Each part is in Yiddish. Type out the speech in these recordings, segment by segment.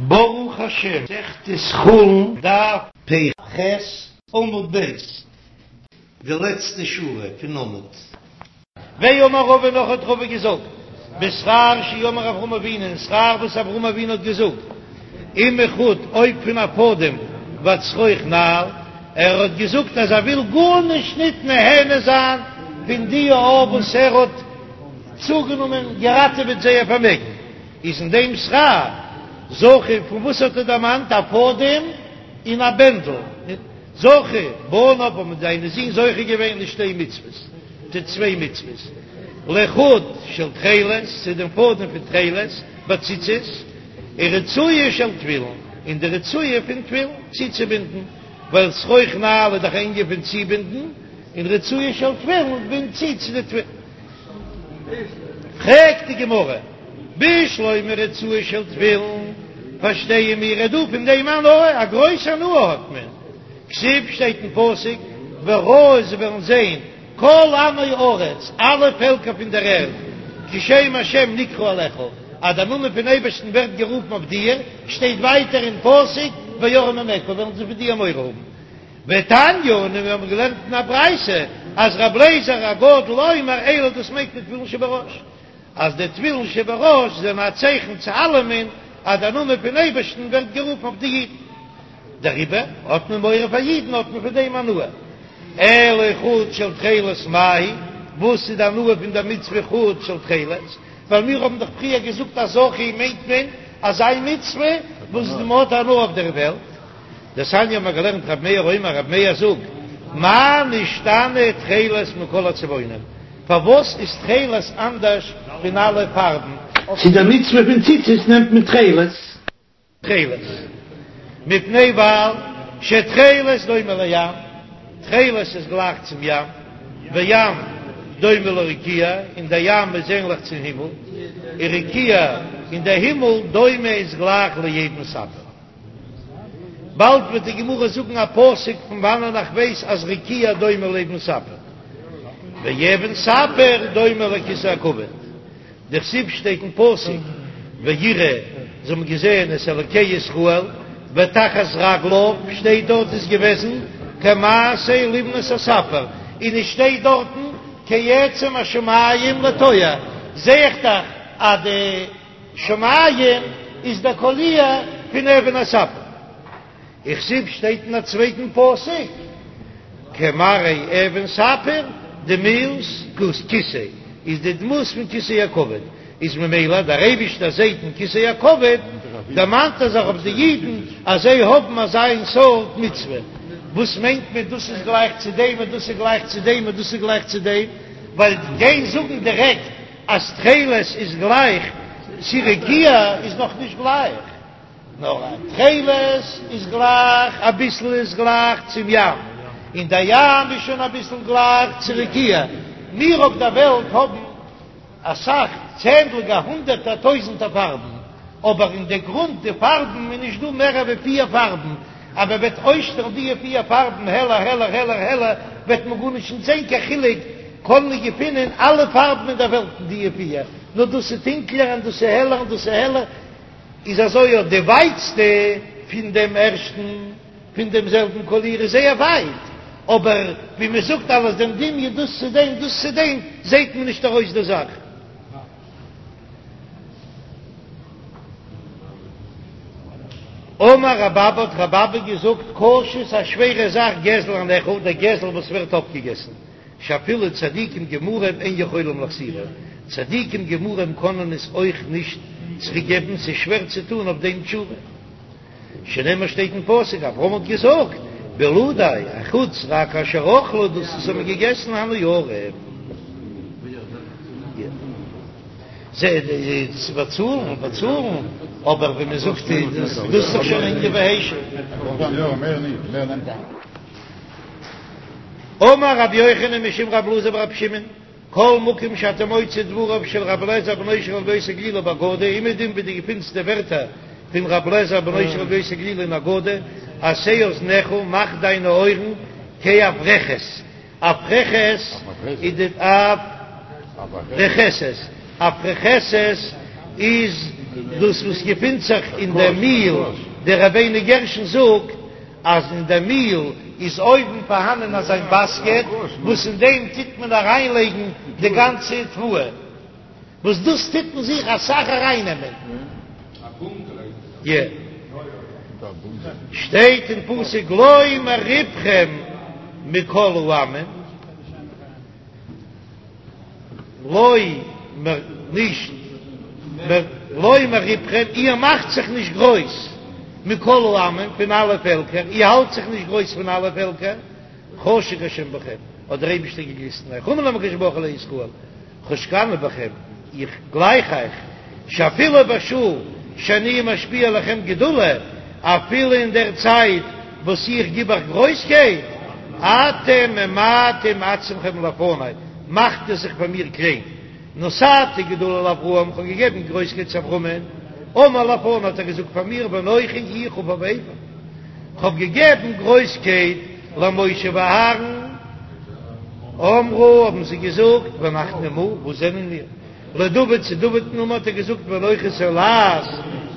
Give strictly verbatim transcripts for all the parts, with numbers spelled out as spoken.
ברוך השם, מסכת חולין, דף פ"ח, עמוד ב', די לעצטע שורה פון עמוד. ואמר רבא נאך האט רבא געזאגט, בשכר שאמר אברהם אבינו, אין שכר וואס אברהם אבינו האט געזאגט, אם מחוט אויב פון א פאדעם ועד שרוך נעל, ער האט געזאגט אז ער וויל גארנישט ניט נהנה זיין פון די א וואס ער האט צוגענומען געראטעוועט זייער פארמעגן. איז אין דעם שכר זכו, פון וואס האט ער דערמאנט א פאדעם און א בענדל? זכו בניו האבן זיינע זין זוכה געווען לשתי מצוות, צו צוויי מצוות, לחוט של תכלת, צו דעם פאדעם פון תכלת בציצית, און רצועה של תפילין, און די רצועה פון תפילין צוצובינדן, ווייל שרוך נעל איז דאך א ענין פון צובינדן, און רצועה של תפילין בינדט צו צו די תפילין. פרעגט די גמרא, בשלמא רצועה של תפילין, פארשטייען מיר איז דא פון דעם הנאה, א גרויס הנאה האט מען, כתיב שטייט אין פסוק, וראו זיי וועלן זען כל עמי הארץ, אלע פעלקער פון דער ערד, כי שם השם נקרא עליך, אז דער נאמען פון אייבערשטן ווערט גערופן אויף דיר, שטייט ווייטער אין פסוק, ויראו ממך, וועלן זיי פון דיר מורא האבן. ותניא, און מיר האבן געלערנט אין א ברייתא אז רבי אליעזר הגדול אומר אלו דאס מיינט מען תפילין שבראש, אז די תפילין שבראש זענען א צייכן צו אלעמען אז דער נאמען פון אייבערשטן ווערט גערופן אויף די אידן, דעריבער האט מען מורא פאר אידן האט מען פון דעם הנאה. אלא חוט של תכלת מאי, וואס איז די הנאה פון דער מצוה חוט של תכלת? ווייל מיר האבן דאך פריער געזאגט אז זכו מיינט מען אזא מצוה וואס מען האט הנאה אויף דער וועלט. דתניא האבן מיר געלערנט רבי מאיר אומר רבי מאיר זאגט מה נשתנה תכלת מכל הצבעונים, פארוואס איז תכלת אנדערש פון אלע פארבן? צו דער מצוה פון ציצית נעמט מען תכלת. תכלת, מפני ווייל שתכלת דומה לים, תכלת איז גלייך צום ים, וים דומה לרקיע, און דער ים איז ענליך צום הימל, ורקיע און דער הימל דומה איז גלייך לאבן ספיר. באלד וועט די גמרא זאגן א פסוק פון וואנען איך ווייס אז רקיע דומה לאבן ספיר, ואבן ספיר דומה לכסא הכבוד, דכתיב שטייט אין פסוק ויראו זיי האבן געזען את אלוקי ישראל ותחת רגליו שטייט דארט איז געוועזן כמעשה לבנת הספיר און עס שטייט דארטן כעצם השמים לטוהר זעה איך דאך אז די שמים איז דער קאליר פון אבן הספיר. וכתיב שטייט אין א צווייטן פסוק כמראה אבן ספיר דמות כסא איז די דמות פון כסא הכבוד איז ממילא דער אייבישטער זעהט אין כסא הכבוד דערמאנט ער זיך אויף די אידן אז זיי האבן אזא איין סארט מצוה וואס מיינט מען דאס איז גלייך צו דעם און דאס איז גלייך צו דעם און דאס איז גלייך צו דעם ווייל גיין זאגן דירעקט אז תכלת איז גלייך צו רקיע איז נאך נישט גלייך, נאר א תכלת איז גלייך אביסל איז גלייך צום ים, און דער ים איז שוין אביסל גלייך צו רקיע, מיר אויף דער וועלט האבן אסאך צענדליגע הונדערטער טויזנטער פארבן, אבער אין די גרונט די פארבן איז נישט דא מער ווי פיר פארבן, אז מען וועט אויסשטעלן די פיר פארבן העלער העלער העלער העלער וועט מען גארנישט נישט זען קיין חילוק, קען מען געפינען אלע פארבן אין דער וועלט אין די פיר, נאר דאס איז טונקלער און דאס איז העלער און דאס איז העלער, איז אזוי אט די ווייטסטע פון דעם ערשטן פון דעם זעלבן קאליר איז זייער ווייט, אבער ווי מען זאגט אלעס דעם דמיון דאס צו דעם דאס צו דעם זעט מען נישט ארויס די זאך. אמר רב אבא האט רב אבא געזאגט קשה ס'איז א שווערע זאך גזל הנאכל דער גזל וואס ווערט אפגעגעסן שאפילו צדיקים גמורים אין יכולים להחזירו צדיקים גמורים קענען עס אויך נישט צוריק געבן ס'איז שווער צו טון אויף דעם תשובה שנאמר שטייט אין פסוק אברהם האט געזאגט בלעדי אחוץ רק אשר אכלו דאס וואס האבן געגעסן הנערים. זיי צו באצאלן באצאלן, אבער ווי מען זאגט דאס איז דאך שוין ענין והישב. אמר רבי יוחנן משום רבי אלעזר ברבי שמעון, כל מקום שאתה מוצא דבריו של רבי אליעזר בנו של רבי יוסי הגלילי באגדה, אומעדום ווי דו געפינסט די ווערטער פון רבי אליעזר בנו של רבי יוסי הגלילי אין אגדה, עשה אזניך, מאך דיינע אויערן כאפרכת, אפרכת איז די אפרכסת, אפרכסת איז דאס וואס געפינט זיך אין דער מיל, דער רבינו גרשון זאגט אז אין דער מיל איז אויבן פארהאנען אזא באסקעט וואס אין דעם טוט מען אריינלייגן די גאנצע תבואה, וואס דאס טוט אין זיך אסאך ארייננעמען. שטייט אין פסוק לא מרבכם מכל העמים. לא מ נישט מ לא מרבכם, איר מאכט זיך נישט גרויס מכל העמים, פון אלע פעלקער, איר האלט זיך נישט גרויס פון אלע פעלקער, חשק השם בכם, האט דער אייבישטער געגליסט אין אייך, אמר להם הקדוש ברוך הוא לישראל, חשקני בכם, איך גלייך אייך, שאפילו בשעה שאני משפיע לכם גדולה, אפילו אין דער צייט וואס איך גיב אייך גרויסקייט, אתם ממעטים עצמכם לפני, מאכט איר זיך פאר מיר קליין. נתתי גדולה לאברהם, איך האב געגעבן גרויסקייט צו אברהמען, אמר לפני האט ער געזאגט פאר מיר, ואנכי איך עפר ואפר, איך האב געגעבן גרויסקייט למשה ואהרן, אמרו האבן זיי געזאגט, ואנחנו מה, וואס זענען מיר? לדוד צו דוד'ן אמר האט ער געזאגט ואנכי תולעת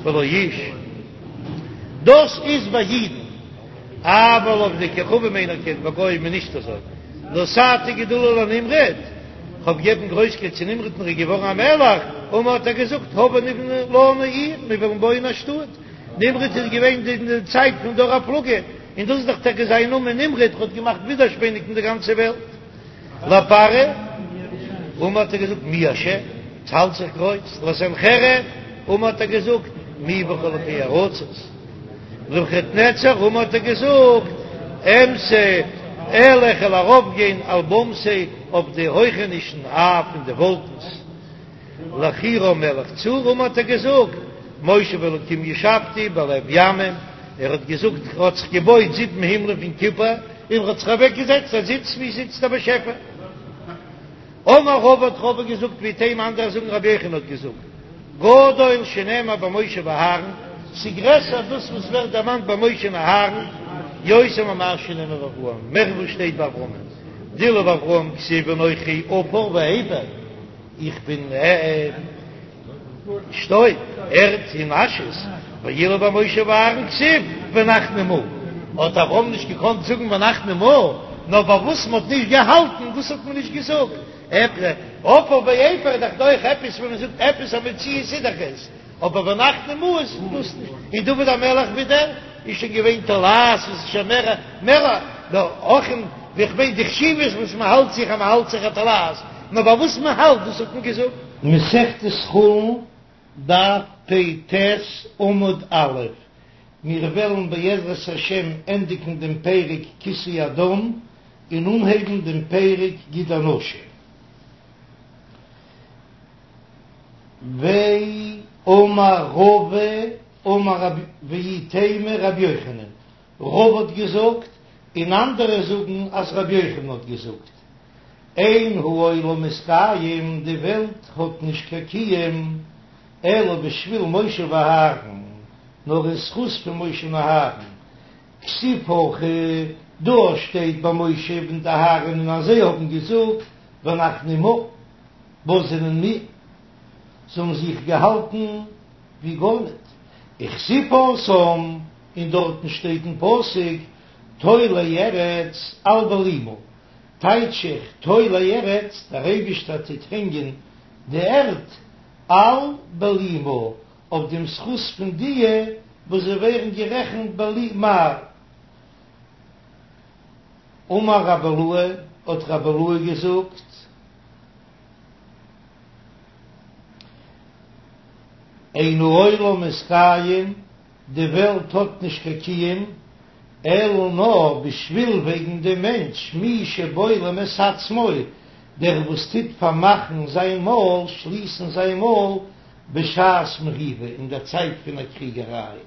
ולא איש, דאס איז ביי אידן, אבל לעובדי כוכבים אינו כן, ביי גוים איז נישט אזוי, נתתי גדולה לנמרוד, כ'האב געגעבן גרויסקייט צו נמרוד און ער איז געווארן א מלך, אמר האט ער געזאגט הבה נבנה לנו עיר, מיר וועלן בויען א שטאט, נמרוד איז געווען אין די צייט פון דור הפלגה, און דאס איז דאך טאקע זיין נאמען נמרוד, ער האט געמאכט ווידערשפעניגן די גאנצע וועלט. לפרעה, אמר האט ער געזאגט מי השם, עס האלט זיך גרויס, לסנחריב, אמר האט ער געזאגט מי בכל אלקי ארצות, לנבוכדנצר, אמר האט ער געזאגט אמסע אעלה איך וועל ארויפגיין על במתי אויף די הויכענישן אף אין די וואלקנס, לחירם מלך צור, אמר האט ער געזאגט מושב אלקים ישבתי בלב ימים, ער האט געזאגט ער האט זיך געבויט זיבן הימלען פון קופער, און ער האט זיך אוועק געזעצט ער זיצט ווי זיצט דער באשעפער. אמר רבא האט רבא געזאגט ואיתימא אנדערע זאגן רבי יוחנן האט געזאגט גדול שנאמר במשה ואהרן ס'גרעסער דאס וואס ווערט דערמאנט ביי משה און אהרן יותר ממה שנאמר באברהם מער וואס שטייט ביי אברהמען דאילו באברהם כתיב אנכי עפר ואפר איך בין שטויב, ערד און אשעס, ואילו במשה ואהרן כתיב ואנחנו מה, האט אברהם נישט געקאנט זאגן ואנחנו מה, נאר ביי וואס מ'האט נישט געהאלטן דאס האט מען נישט געזאגט, עפר ואפר איז דאך דא אויך עפעס ווען מ'זאגט עפעס א מציאות איז דאך עס, אבער ואנחנו מה איז דאס נישט, און דוד המלך ווידער איז שוין געווען תולעת וואס איז שוין מער מער נאר אויך אין ווי כ'מיין די חשיבות וואס מ'האלט זיך אז מ'האלט זיך א תולעת, נאר ביי וואס מ'האלט דאס האט מען געזאגט. מסכת חולין, דף פ"ט, עמוד א', מיר וועלן בעזרת השם ענדיגן דעם פרק כיסוי הדם און אנהייבן דעם פרק גיד הנשה. ואמר רבא אמר רב ואיתימא רבי יוחנן, רבא האט געזאגט, און אנדערע זאגן אז רבי יוחנן האט געזאגט, אין העולם מתקיים, די וועלט האט נישט קיין קיום, אלא בשביל משה ואהרן, נאר אין זכות פון משה און אהרן, כתיב הכא, דא שטייט ביי משה און אהרן און אז זיי האבן געזאגט ואנחנו מה, וואס זענען מיר? זיי האבן זיך געהאלטן ווי גארניט, וכתיב התם, און דארטן שטייט אין פסוק תולה ארץ על בלימה, טייטש איך תולה ארץ, דער אייבישטער טוט הענגען די ערד על בלימה, אויף דעם זכות פון דיע וואס זיי ווערן גערעכנט בלימה. אמר רבי אילעא, האט רבי אילעא געזאגט, אין העולם מתקיים, די וועלט האט נישט קיין קיום, אלא נאר בשביל וועגן דעם מענטש, מי שבולם את עצמו, דער וואס טוט פארמאכן זיין מויל, שליסן זיין מויל, בשעת מריבה, אין דער צייט פון א קריגעריי,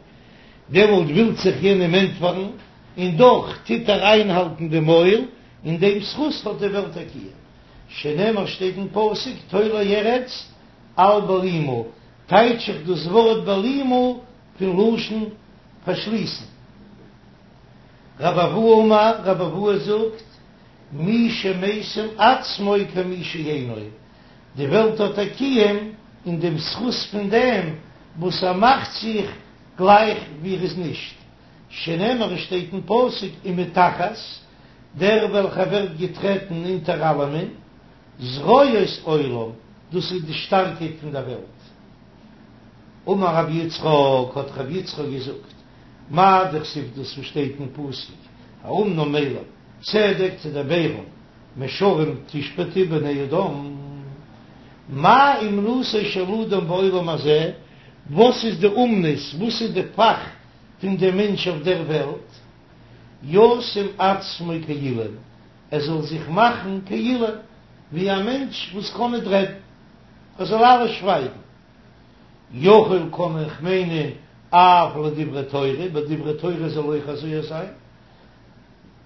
דעמאלט ווילט זיך יענעם ענטפערן, און דאך טוט ער איינהאלטן די מויל, אין דעם זכות האט די וועלט א קיום. שנאמר שטייט אין פסוק, תולה ארץ על בלימה, טייטש איך דאס ווארט בלימה פון לשון פארשליסן. רבי אבהו אמר, רבי אבהו זאגט, מי שמשים עצמו כמי שאינו, די וועלט האט א קיום אין דעם זכות פון דעם וואס ער מאכט זיך גלייך ווי ער איז נישט, שנאמר עס שטייט אין פסוק ומתחת, דער וועלכער ווערט געטרעטן אונטער אלעמען, זרועות עולם, דאס איז די שטארקייט פון דער וועלט. אמר רבי יצחק, האט רבי יצחק געזאגט, מאי דכתיב דאס וואס שטייט אין פסוק, האמנם אליו, צדק תדברון, מישרים תשפטו בני אדם, מה אומנותו של אדם בעולם הזה, וואס איז די אומנות, וואס איז די פאך פון דעם מענטש אויף דער וועלט, ישים עצמו כאילם, ער זאל זיך מאכן כאילם, ווי א מענטש וואס קען ניט רעדן, ער זאל אלעס שווייגן. יכול קען איך מיינען אף לדברי תורה, ביי דברי תורה זאל אויך אזוי זיין.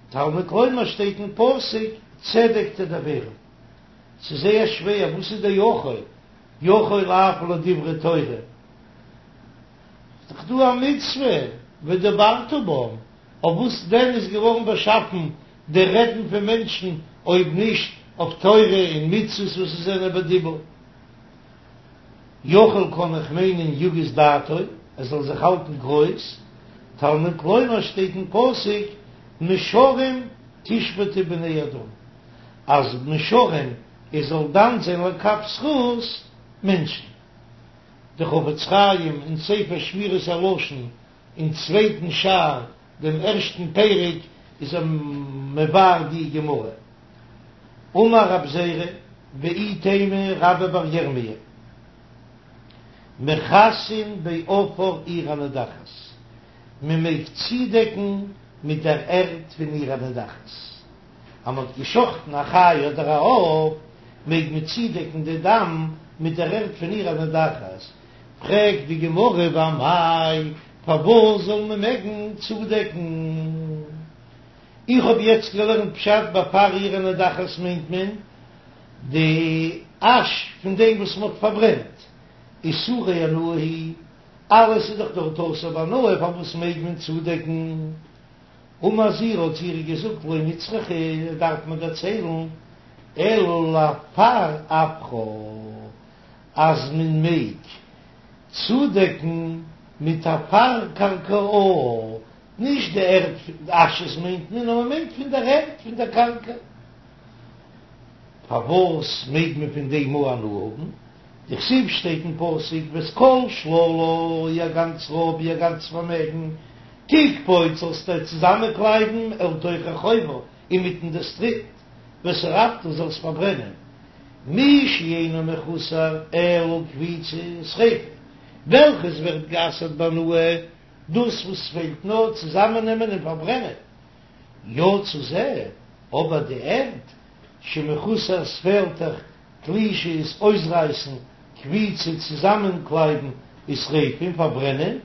תלמוד לומר שטייט אין פסוק צדק תדברון. ס'איז זייער שווער, וואס איז דער יכול? יכול אף לדברי תורה. איז דאך דא א מצוה ודברת בם, אויף וואס דען איז געווארן באשאפן די רעדן פון מענטשן אויב נישט אויף תורה און מצוות וואס עס זענען בדיבור? יכול קען איך מיינען יגיס דעתו, ער זאל זיך האלטן גרויס, תלמוד לומר שטייט אין פסוק מישרים תשפטו בני אדם, אז מישרים ער זאל דן זיין לכף זכות מענטשן. די חפץ חיים אין ספר שמירת הלשון אין צווייטן שער דעם ערשטן פרק איז ער מבאר די גמרא. אמר רב זירא ואיתימא רבה בר ירמי' מכסין בעפר עיר הנידחת, מען מעג צודעקן מיט דער ערד פון עיר הנידחת, אז מען האט געשחטן א חיה אדער א עוף מעג מען צודעקן די דם מיט דער ערד פון עיר הנידחת, פרעגט די גמרא ואמאי פארוואס זאל מען מעגן צודעקן? איך האב יעצט געלערנט פשט בעפר עיר הנידחת מיינט מען די אש פון דעם וואס מען האט פארברענט, איסורי הנאה הוא, אלעס איז דאך דארט אסור בהנאה פארוואס מעג מען צודעקן? אמר זעירא האט זעירא געזאגט לא נצרכה דארף מען דערציילן אלא לעפר עפרה אז מען מעג צודעקן מיט עפר קרקעה נישט די ערד אשעס מיינט מען, נאר מען מיינט פון דער ערד, פון דער קרקע. פארוואס מעג מען פון דעם הנאה האבן? דכתיב שטייט אין פסוק ואת כל שללה, איר גאנץ רויב, איר גאנץ פארמעגן, תקבוץ זאלסטו צוזאמענקלייבן אל תוך רחובה, אינמיטן די סטריט, ושרפת זאלסט פארברענען, מי שאינו מחוסר אלא קביצה ושריפה, וועלכעס ווערט גע'אסר'ט בהנאה, דאס וואס פעלט נאר צוזאמעננעמען און פארברענען, יצא זה, אבער די ערד שמחוסר ס'פעלט דאך תלישה איז אויסרייסן, קביצה צוזאמענקלייבן ושריפה און פארברענען,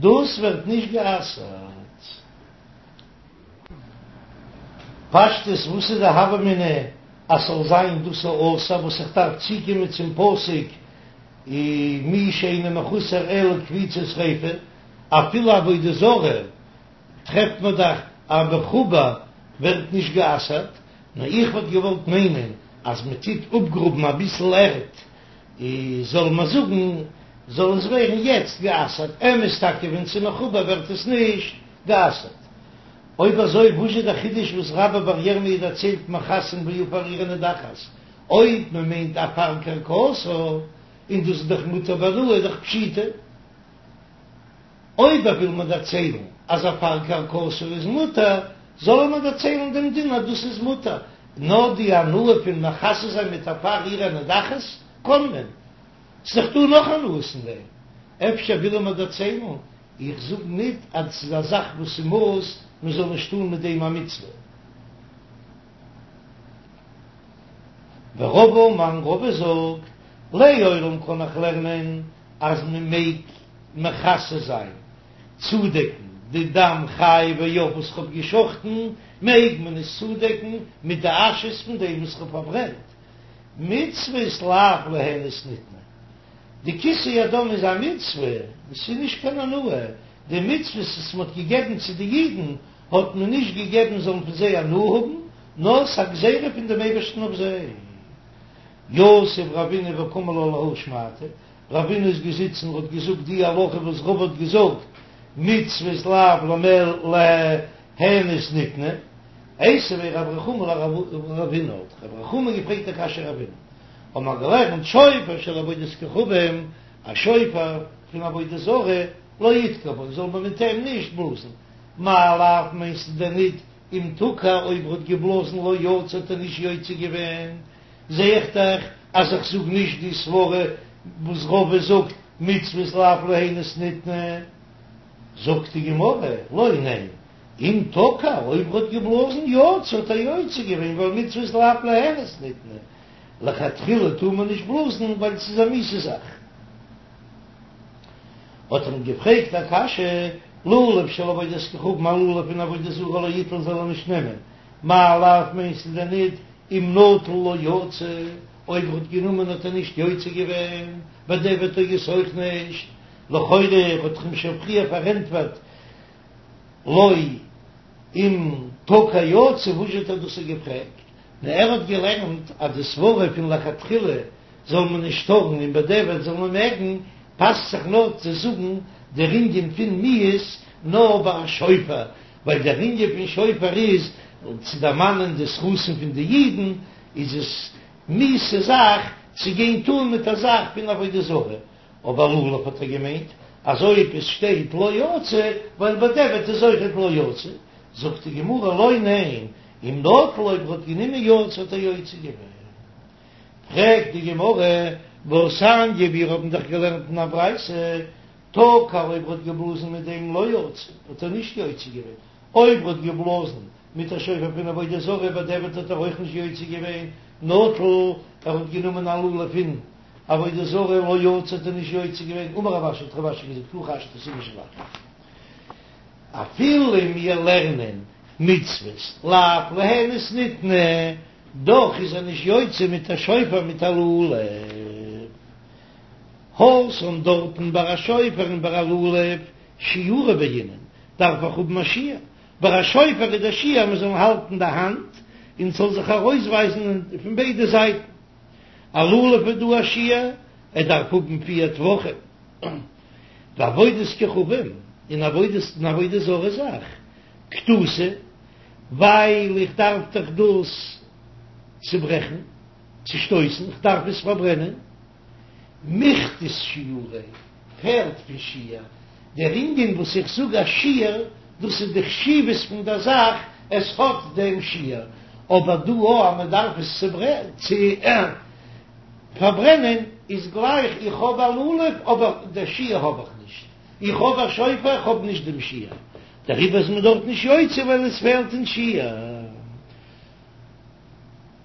דאס ווערט נישט גע'אסר'ט. פשטות וואס איז די הוה אמינא אז ס'זאל זיין דאס אסור וואס איך דארף צוקומען צום פסוק מי שאינו מחוסר אלא קביצה ושריפה, אפילו עבודה זרה טרעפט מען דאך אז מחובר ווערט נישט גע'אסר'ט, נאר איך וואלט געוואלט מיינען אז מען טוט אפגראבן אביסל ערד זאל מען זאגן זאל עס ווערן יעצט גע'אסר'ט, אמת טאקע ווען ס'איז מחובר ווערט עס נישט גע'אסר'ט. אויב אזוי וואס איז דער חידוש וואס רבה בר ירמי' דערציילט מכסין בעפר עיר הנידחת, אויב מען מיינט עפר קרקעתה, און דאס איז דאך מותר בהנאה איז דאך פשיטא. אויב ער וויל מיר דערציילן אז עפר קרקעתה איז מותר, זאל ער מיר דערציילן דעם דין אז דאס איז מותר, נאר די הנאה פון מכסה זיין מיט עפר עיר הנידחת קען מען. ס'איז דאך דא נאך הנאות אין דעם. אפשר וויל ער מיר דערציילן איך זאג ניט אז ס'איז א זאך וואס איז מאוס מען זאל נישט טאן מיט דעם א מצוה. ורבא אמר רבא זאגט, לעולם קען איך לערנען אז מען מעג מכסה זיין, צודעקן, די דם חיה ועוף וואס כ'האב געשחטן, מעג מען עס צודעקן מיט די אשעס פון דעם וואס כ'האב פארברענט. מצוות לאו ליהנות ניתנו. די כיסוי הדם איז א מצוה, עס איז נישט קיין הנאה, די מצוות וואס מען האט געגעבן צו די אידן האט מען נישט געגעבן זאלן פון זיי הנאה האבן, נאר ס'איז א גזירה פון דעם אייבערשטן אויף זיי. יתיב רבינא וקאמר לה להא שמעתא, רבינא איז געזיצן און האט געזאגט די הלכה וואס רבא האט געזאגט, מצוות לאו ליהנות ניתנו, איתיביה רב רחומי לרבינא, האט רב רחומי געפרעגט א קשיא רבינא, האבן מיר געלערנט שופר של עבודת כוכבים, א שופר פון עבודה זרה, לא יתקע בו, זאל מען מיט אים נישט בלאזן, מאי לאו מיינסטו דען ניט אם תקע אויב ער האט געבלאזן לא יצא האט ער נישט יוצא געווען, זע איך דאך אז איך זאג נישט די סברה וואס רבא זאגט מצוות לאו ליהנות ניתנו, זאגט די גמרא, לא ניין, אם תקע אויב ער האט געבלאזן יצא האט ער יוצא געווען ווייל מצוות לאו ליהנות ניתנו, לכתחילה טאר מען נישט בלאזן ווייל ס'איז א מיאוסע זאך. האט ער אים געפרעגט א קשיא, לולב של עבודת כוכבים א לולב פון עבודה זרה לא יטול זאל ער נישט נעמען, מאי לאו מיינסטו דען ניט אם נטל לא יצא, אויב ער האט גענומען האט ער נישט יוצא געווען, בדיעבד טעות אויך נישט, לכאורה האט ער אים שוין פריער פארענטפערט לא אם תקע יצא, וואס האט ער דאס געפרעגט? נאר ער האט געלערנט אז די סברה פון לכתחילה זאל מען נישט טארן און בדיעבד זאל מען מעגן, פאסט זיך נאר צו זאגן דער ענין פון מיאוס נאר ביי א שופר, ווייל דער ענין פון שופר איז צו דערמאנען די זכותים פון די אידן, איז עס מיאוסע זאך צו גיין טאן מיט א זאך פון עבודה זרה, אבער לולב האט ער געמיינט אז אויב עס שטייט לא יצא, ווייל בדיעבד איז אויכעט לא יצא, זאגט די גמרא לא ניין, אם נטל אויב ער האט גענומען יצא האט ער יוצא געווען. פרעגט די גמרא, והתניא מיר האבן דאך געלערנט אין א ברייתא, תקע אויב ער האט געבלאזן מיט דעם לא יצא, האט ער נישט יוצא געווען, אויב ער האט געבלאזן מיט א שופר פון עבודה זרה בדיעבד האט ער אויך נישט יוצא געווען, נטל, ער האט גענומען א לולב פון עבודה זרה לא יצא האט ער נישט יוצא געווען, אמר רב אשי האט רב אשי געזאגט הכי השתא ס'איז נישט גלייך אפילו מיר לערנען מצוות לאו ליהנות ניתנו, דאך איז ער נישט יוצא מיט א שופר מיט א לולב. התם דארטן ביי א שופר און ביי א לולב שיעורא בעינן דארף איך האבן א שיעור, ביי א שופר איז דער שיעור מען זאל האלטן די האנט און ס'זאל זיך ארויסווייזן פון ביידע זייטן, א לולב איז דא א שיעור ער דארף האבן פיר טפחים, ועבודת כוכבים און עבודת און עבודה זרה זאך כתותי ווייל איך דארף דאך דאס צוברעכן, צושטויסן, איך דארף עס פארברענען. מיכתת שיעוריה, פעלט פון שיעור, דער ענין וואס איך זאג א שיעור, דאס איז די חשיבות פון דער זאך, עס האט דעם שיעור, אבער דא או אז מען דארף עס צו פארברענען, איז גלייך איך האב א לולב אבער דער שיעור האב איך נישט, איך האב א שופר איך האב נישט דעם שיעור, דעריבער איז מען דארט נישט יוצא ווייל עס פעלט אין שיעור.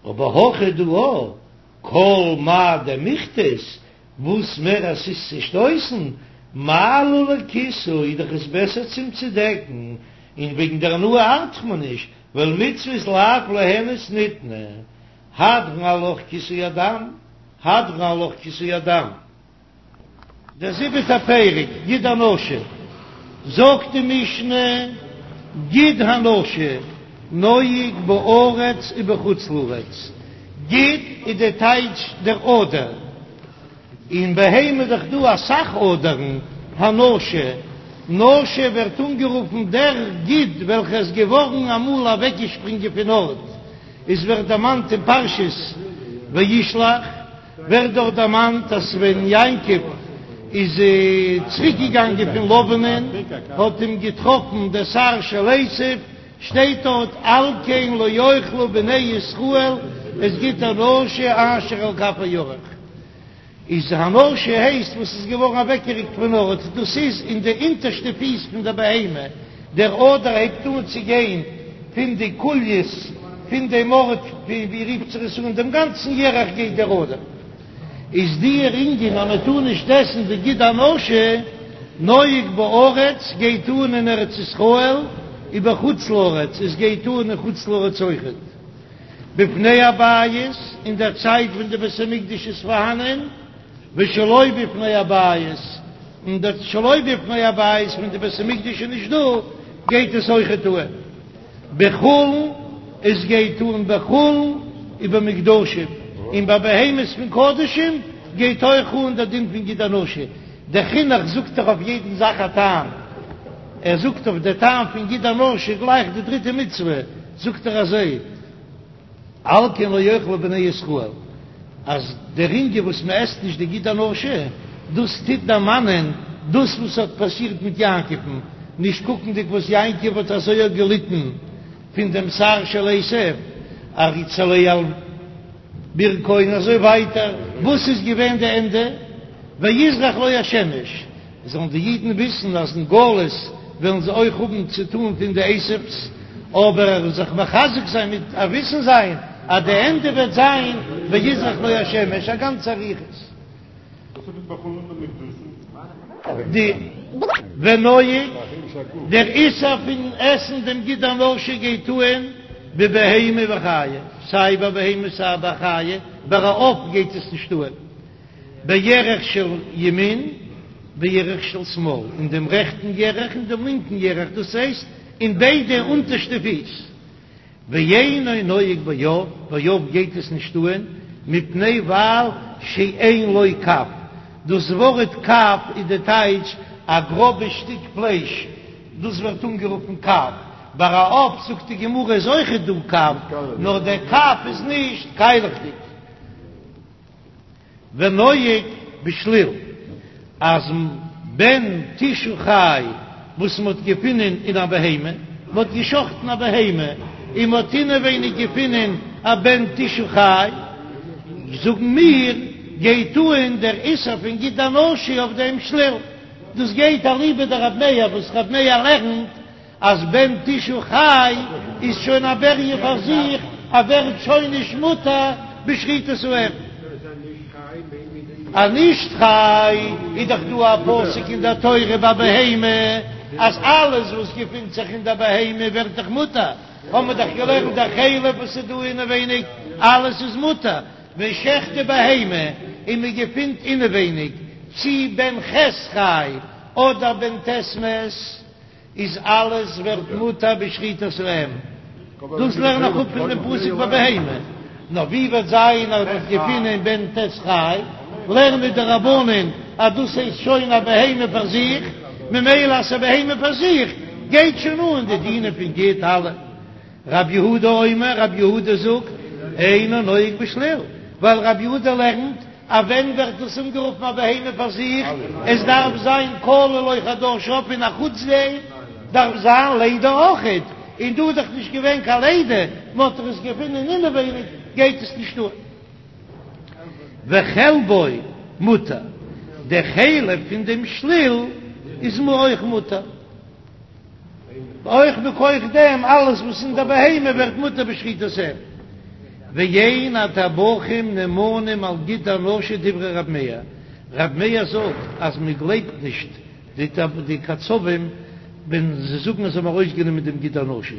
אבער הכא דא או כל מה דמיכתת, וואס מער עס איז צושטויסן, מעלי לכיסוי איז דאך עס בעסער צום צודעקן, און וועגן דער הנאה ארט מען נישט, ווייל מצוות לאו ליהנות ניתנו, הדרן עלך כיסוי הדם, הדרן עלך כיסוי הדם. דער זיבעטער פרק, גיד הנשה, זאגט די משנה, גיד הנשה נוהג בארץ ובחוץ לארץ, גיד איז די טייטש דער אדער, אין בהמה איז דאך דא אסאך אדערן, הנשה, נשה ווערט אנגערופן דער גיד וועלכער איז געווארן אמאל אוועקגעשפרינגען פון ארט, עס ווערט דערמאנט אין פרשת וישלח. ווערט דארט דערמאנט אז ווען יעקב איז צוריק געגאנגען פון לבנ'ען האט אים געטראפן דער שר של עשו, שטייט דארט על כן לא יאכלו בני ישראל את גיד הנשה אשר על כף הירך, איז הנשה הייסט וואס איז געווארן אוועקגעריקט פון ארט, דאס איז אין די אונטערשטע פיס פון דער בהמה, דער אדער הייבט אן צו גיין פון די קוליות פון דעם ארט ווי רופט זיך עס אן דעם גאנצן ירך גייט דער אדער, איז דער ענין אז מען טאר נישט עסן די גיד הנשה נוהג בארץ גייט אן אין ארץ ישראל ובחוץ לארץ עס גייט אן אין חוץ לארץ אויכעט בפני הבית אין דער צייט ווען די בית המקדש איז פארהאנען. ושלא בפני הבית, און דער שלא בפני הבית ווען די בית המקדש איז נישט דא, גייט עס אויכעט אן בחולין, עס גייט אן בחולין ובמוקדשים, און ביי בהמות פון קדשים גייט אויך אן דער דין פון גיד הנשה, דער חינוך זאגט דאך אויף יעדן זאך א טעם, ער זאגט אויף דער טעם פון גיד הנשה גלייך די דריטע מצוה, זאגט ער אזוי, על כן לא יאכלו בני ישראל, אז די רינגען וואס מען עסט נישט די גיד הנשה, דאס טוט דערמאנען דאס וואס האט פאסירט מיט יעקב'ן, נישט קוקנדיג וואס יעקב האט אזוי געליטן פון דעם שר של עשו, עריצה על ברכו און אזוי ווייטער, וואס איז געווען די ענדע? ויזרח לו השמש, זאלן די אידן וויסן אז אין גלות וועלן זיי אויך האבן צו טאן פון די עשו'ס, אבער זיך מחזק זיין מיט א וויסן זיין אז די ענדע וועט זיין ויזרח לו השמש, א גאנצע אריכות. די ונוהג, דער איסור פון עסן דעם גיד הנשה גייט אהן בבהמה וחיה, סיי ביי בהמה סיי ביי חיה, ביי א עוף גייט עס נישט אהן. בירך של ימין בירך של שמאל, אין דעם רעכטן ירך און דעם לינקן ירך, דאס הייסט אין ביידע אונטערשטע פיס. ואינו נוהג בעוף, ביי עוף גייט עס נישט אהן, מפני ווייל שאין לו קב, דאס ווארט קב איז די טייטש א גראבע שטיק פלייש, דאס ווערט אנגערופן קב, ביי א עוף זאגט די גמרא איז אויכעט דא קב, נאר דער קב איז נישט קיילעכדיג. ונוהג בשליל, אז בן תשעה חי וואס מ'האט געפונען אין א בהמה, מ'האט געשחטן א בהמה און מ'האט אינעווייניג געפונען א בן תשעה חי, זאגן מיר, גייט אהן דער איסור פון גיד הנשה אויף דעם שליל, דאס גייט אליבא דרב מאיר וואס רב מאיר לערנט אז בן תשעה חי איז שוין א בריה פאר זיך, ער ווערט שוין נישט מותר בשחיטת האם. א נישט חי איז דאך דא א פסוק אין דער תורה ביי בהמה אז אלעס וואס געפינט זיך אין דער בהמה ווערט דאך מותר, האבן מיר דאך געלערנט דער חלב וואס איז דא אינעווייניג אלעס איז מותר, מען שעכט די בהמה און מען געפינט אינעווייניג צי בן ח' חי אדער בן ט' מת. איז אלעס ווערט מותר בשחיטת האם, דאס לערן איך אפ פון דעם פסוק ביי בהמה, נאר ווי וועט זיין אז מ'האט געפונען בן ט' חי, לערנען די רבנן אז דאס הייסט שוין א בהמה פאר זיך, ממילא אז ס'איז א בהמה פאר זיך גייט שוין אן די דינים פון גיד אלע. רב יהודה אומר, רב יהודה זאגט, אינו נוהג בשליל, ווייל רב יהודה לערנט אז ווען ווערט דאס אנגערופן א בהמה פאר זיך, עס דארף זיין כלו לו חדשיו און א חוץ דעם דארף זיין לידה אויכעט, און דא איז דאך נישט געווען קיין לידה, מען האט דאך עס געפונען אינעווייניג, גייט עס נישט אן. וחלבו מותר, די חלב פון דעם שליל איז אויך מותר. אויך מכח דעם אלעס וואס אין דער בהמה ווערט מותר בשחיטת האם. ואין הטבחים נאמנים על גיד הנשה דברי רב מאיר, רב מאיר זאגט אז מען גלייבט נישט די קצבים ווען זיי זאגן אז זיי האבן ארויסגענומען דעם גיד הנשה,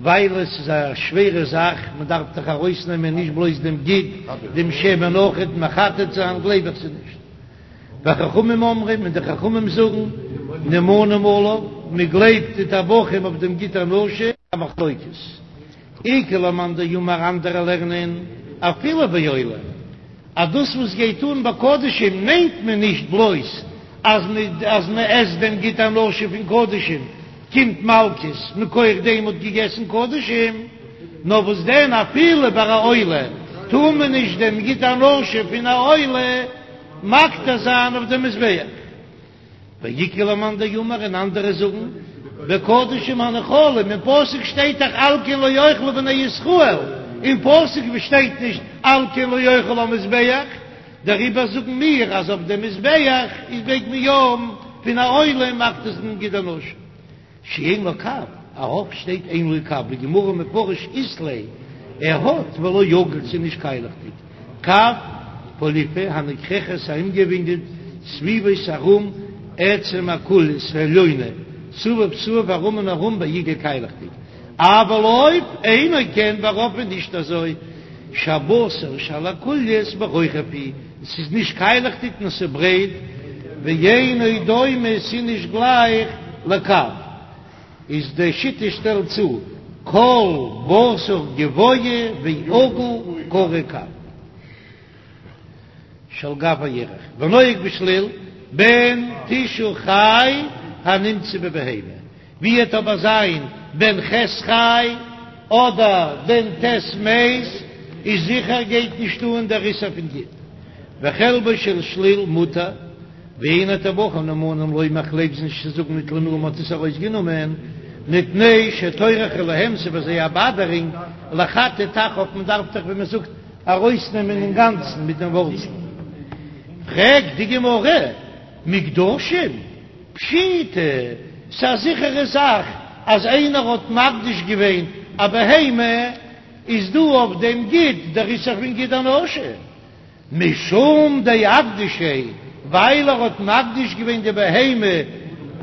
ווייל עס איז א שווערע זאך, מען דארף דאך ארויסנעמען נישט בלויז דעם גיד, דעם שמן אויכעט, מחטט זיין גלייב איך זיי נישט. וחכמים אומרים, און די חכמים זאגן, נאמנים עליו, מען גלייבט די טבחים אויף דעם גיד הנשה, א מחלוקת. איכא למאן דאמר אנדערע לערנען אפילו בעולה, אז דאס וואס גייט אן ביי קדשים מיינט מען נישט בלויז אז אז מען עסט דעם גיד הנשה פון קדשים קומט מלקות מכח דעם מ'האט געגעסן קדשים, נאר וואס דען אפילו ביי א עולה טאר מען נישט דעם גיד הנשה פון א עולה מקטיר זיין אויף דעם מזבח. ואיכא למאן דאמר און אנדערע זאגן בקדשים הנאכלים, אין פסוק שטייט דאך על כן לא יאכלו בני ישראל, אין פסוק שטייט נישט על כן לא יאכל המזבח, דעריבער זאגן מיר אז אויף דעם מזבח איז מעג מען יא פון א עולה מקטיר זיין גיד הנשה. שאין לו קב, א עוף שטייט אין לו קב, בגמרא מפרש אית ליה, ער האט ולא עגיל ס'איז נישט קיילעכדיג, קב פוליפא הנכרכת ארומגעווינגלט סביבות ארום עצם הקולית העליונה סביב סביב ארום און ארום בעיגול קיילעכדיג, אבל עוף אינו כן ביי עוף איז נישט אזוי שהבשר שעל הקולית ברוחב הוא, ס'איז נישט קיילעכדיג נאר ס'איז ברייט, ואינו דומה ס'איז נישט גלייך לקב, איז די שיטה שטעלט צו כל בשר גבוה ועגול קרוי קב. שעל גב הירך, ונוהג בשליל בן תשעה חי הנמצא בבהמה, ווי וועט אבער זיין בן ח' חי אדער בן ט' מת, איז זיכער גייט נישט אן דער איסור פון גיד. וחלבו של שליל מותר, ואין הטבחים נאמנים לומר כ'גלייב זיי נישט צו זאגן נטלנוהו מ'האט עס ארויסגענומען מפני שטורח הוא להם ס'איז פאר זיי א באדערינג לחטט אחריו מ'דארף דאך ווי מ'זאגט ארויסנעמען אינגאנצן מיט דעם ווארצל. פרעגט די גמרא, מוקדשים? פשיטא, ס'איז א זיכערע זאך אז איינער האט מקדיש געווען א בהמה, איז דא אויף דעם גיד דער איסור פון גיד הנשה, משום דאקדישיה, ווייל ער האט מקדיש געווען די בהמה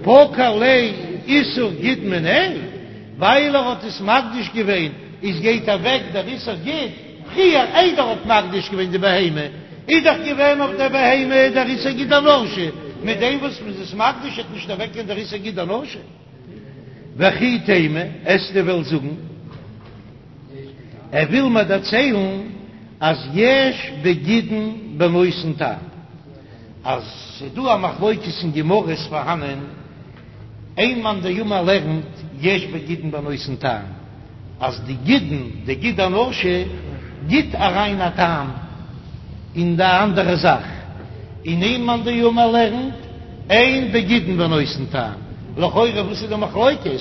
פקע ליה איסור גיד מיניה, ווייל ער האט עס מקדיש געווען איז גייט אוועק דער איסור גיד, פריער איידער ער האט מקדיש געווען די בהמה איז דאך געווען אויף דער בהמה דער איסור גיד הנשה, מיט דעם וואס מ'איז עס מקדיש וועט נישט אוועקגיין דער איסור גיד הנשה. וכי תימא, וועסטו וועלן זאגן, ער וויל מיר דערציילן אז יש בגידין בנותן טעם, אז ס'דא א מחלוקת אין גמרא איז פארהאנען איין מאן דאמר לערנט יש בגידין בנותן טעם, אז די גידין, די גיד הנשה, גיט אריין א טעם אין די אנדערע זאך, און איין מאן דאמר לערנט אין בגידין בנותן טעם, לכאורה וואס איז די מחלוקת?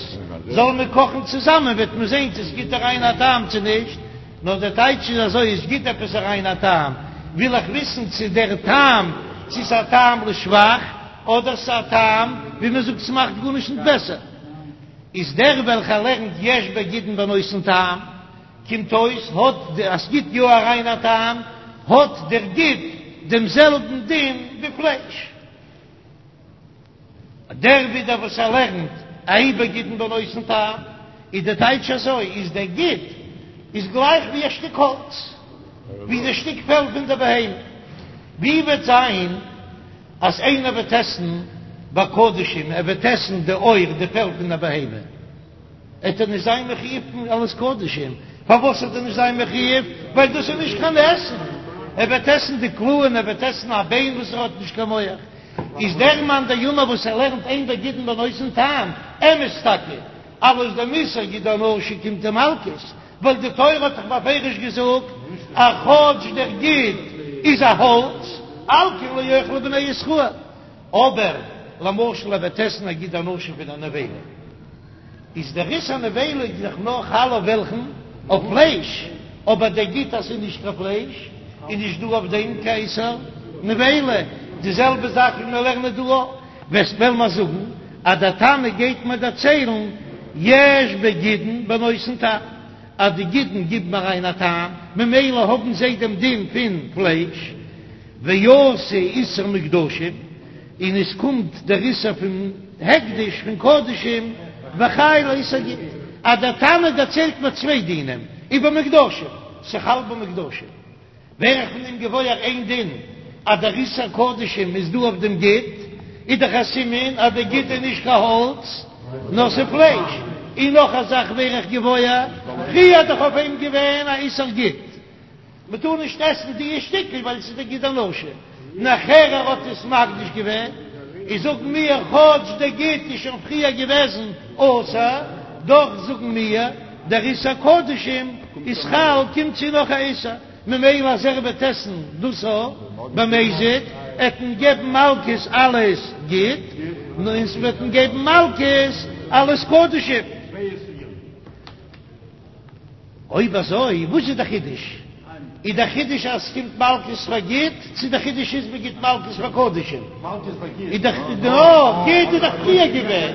זאל מען קאכן צוזאמען וועט מען זען צו עס גיט אריין א טעם צו נישט, נאר דער טייטש איז אזוי, עס גיט עפעס אריין א טעם, וויל איך וויסן צו דער טעם צו ס'איז א טעם לשבח, אדער ס'איז א טעם ווי מ'זאגט ס'מאכט גארנישט נישט בעסער. איז דער וועלכער לערנט יש בגידין בנותן טעם, קומט אויס האט אז ס'גיט יא אריין א טעם, האט דער גיד דעם זעלבן דין ווי פלייש. דער ווידער וואס ער לערנט אין בגידין בנותן טעם, איז די טייטש אזוי, איז דער גיד איז גלייך ווי א שטיק האלץ, ווי די שטיק פעל פון די בהמה. ווי וועט זיין אז איינער וועט עסן ביי קדשים, ער וועט עסן די עור, די פעל פון א בהמה, עט ער נישט זיין מחויב פון אלעס קדשים, פארוואס עט ער נישט זיין מחויב? ווייל דאס איז נישט קיין עסן, ער וועט עסן די קלעים, ער וועט עסן א ביין וואס ער האט נישט קיין מח, איז דער מאן דאמר וואס ער לערנט אין בגידין בנותן טעם, אמת טאקע, אלס דעם איסור גיד הנשה קומט אים מלקות, ווייל די תורה האט דאך בפירוש געזאגט אז כאטש דער גיד איז א האלץ, על כן לא יאכלו בני ישראל, אבער למשל ער וועט עסן א גיד הנשה פון א נבילה, איז דער איסור נבילה איז דאך נאר חל אויף וועלכן? אויף פלייש, אבער דער גיד אז ס'איז נישט קיין פלייש איז נישט דא אויף דעם קיין איסור נבילה, די זעלבע זאך ווי מיר לערנען דא אויך, וועסט וועלן מיר זאגן אז דער תנא גייט מיר דערציילן יש בגידין בנותן טעם, אז די גידין גיבן אריין א טעם, ממילא האבן זיי דעם דין פון פלייש, ואתי איסור מוקדשים, און עס קומט דער איסור פון הקדש פון קדשים, וחייל לאיסור גיד, אז דער תנא דערציילט מיר צוויי דינים ובמוקדשים, ס'חל במוקדשים. ווער איך פון דעם געוואויר איין דין אז דער איסור קדשים איז דא אויף דעם גיד, איז דאך א סימן אז דער גיד איז נישט קיין האלץ נאר ס'איז פלייש, און נאך א זאך ווער איך געוואויר, פריער איז דאך אויף אים געווען א איסור גיד, מ'טאר נישט עסן די שטיקל ווייל ס'איז די גיד הנשה, נאכער ער האט עס מקדיש געווען, איז זאגן מיר כאטש דער גיד איז שוין פריער געוועזן אסור, דאך זאגן מיר. דער איסור קדשים איז חל, קומט צו נאך א איסור, ממילא אז ער וועט עסן דאס א במזיד, עט מען געבן מלקות אלס גיד, און ס'וועט מען געבן מלקות אלס קדשים. אויב אזוי וואס איז די חידוש? איז די חידוש אז ס'קומט מלקות פאר גיד, צו די חידוש איז מ'גיט מלקות פאר קדשים? איז דאך די גיד איז דאך פריער געווען,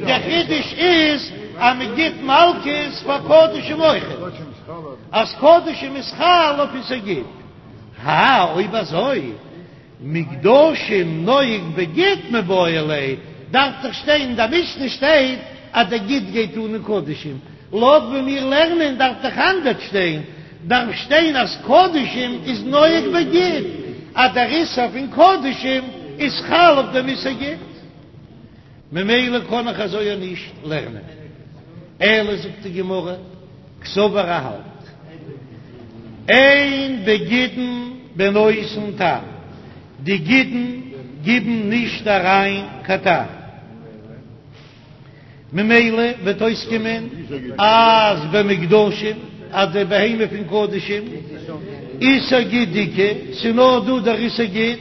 די חידוש איז אז מ'גיט מלקות פאר קדשים אויכעט, אז קדשים איז חל אויף איסור גיד. הא אויב אזוי מוקדשים נוהג בגיד מיבעי ליה, דארף דאך שטיין אין די משנה שטייט אז די גיד גייט אן אין קדשים, לויט ווי מיר לערנען דארף דאך אנדערש שטיין, דארף שטיין אז קדשים איז נוהג בגיד, אז דער איסור פון קדשים איז חל אויף דעם איסור גיד. ממילא קען איך אזוי אויך נישט לערנען. אלא זאגט די גמרא, קסבר ער האלט אין בגידין בנותן טעם, די גידין גיבן נישט אריין קיין טעם, ממילא וועט אויסקומען אז במוקדשים אז די בהמה פון קדשים איסור גיד איכא, ס'איז נאר דא דער איסור גיד,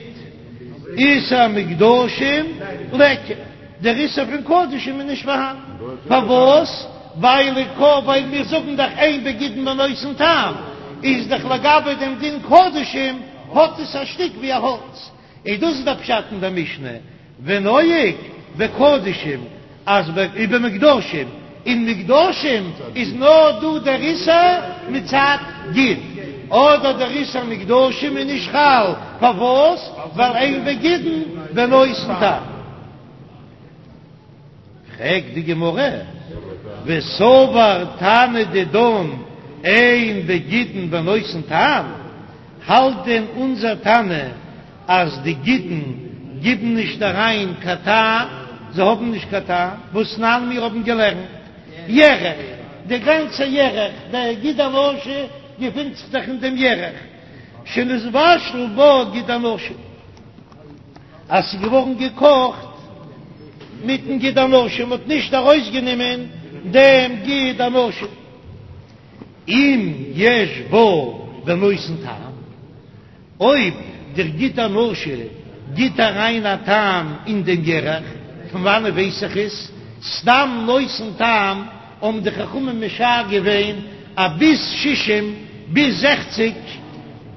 איסור מוקדשים ליכא, דער איסור פון קדשים איז נישט פארהאן, פארוואס? ווייל ווייל מיר זאגן דאך אין בגידין בנותן טעם, איז דאך לגבי דעם דין קדשים האט עס א שטיק ווי א האלץ, און דאס איז דער פשט אין דער משנה, ונוהג בקדשים אז ובמוקדשים, אין מוקדשים איז נאר דא דער איסור מצד גיד, אדער דער איסור מוקדשים איז נישט חל, פארוואס? ווייל אין בגידין בנותן טעם. פרעגט די גמרא, וסבר תנא דידן אין בגידין בנותן טעם, האלט דען אונזער תנא אז די גידין גיבן נישט אריין קיין טעם, זיי האבן נישט קיין טעם, והתנן מיר האבן געלערנט ירך, די גאנצע ירך, דער גיד הנשה געפינט זיך דאך אין דעם ירך, שנתבשל בה גיד הנשה. אז ס'איז געווארן געקאכט מיטן גיד הנשה, מ'האט נישט ארויסגענומען דעם גיד הנשה. אם יש בה בנותן טעם, אויב דער גיד הנשה גיט אריין א טעם אין דעם ירך, פון וואנעט ווייס איך עס? סתם נותן טעם האבן די חכמים משער געווען אז ביז שישים, ביז זעכציג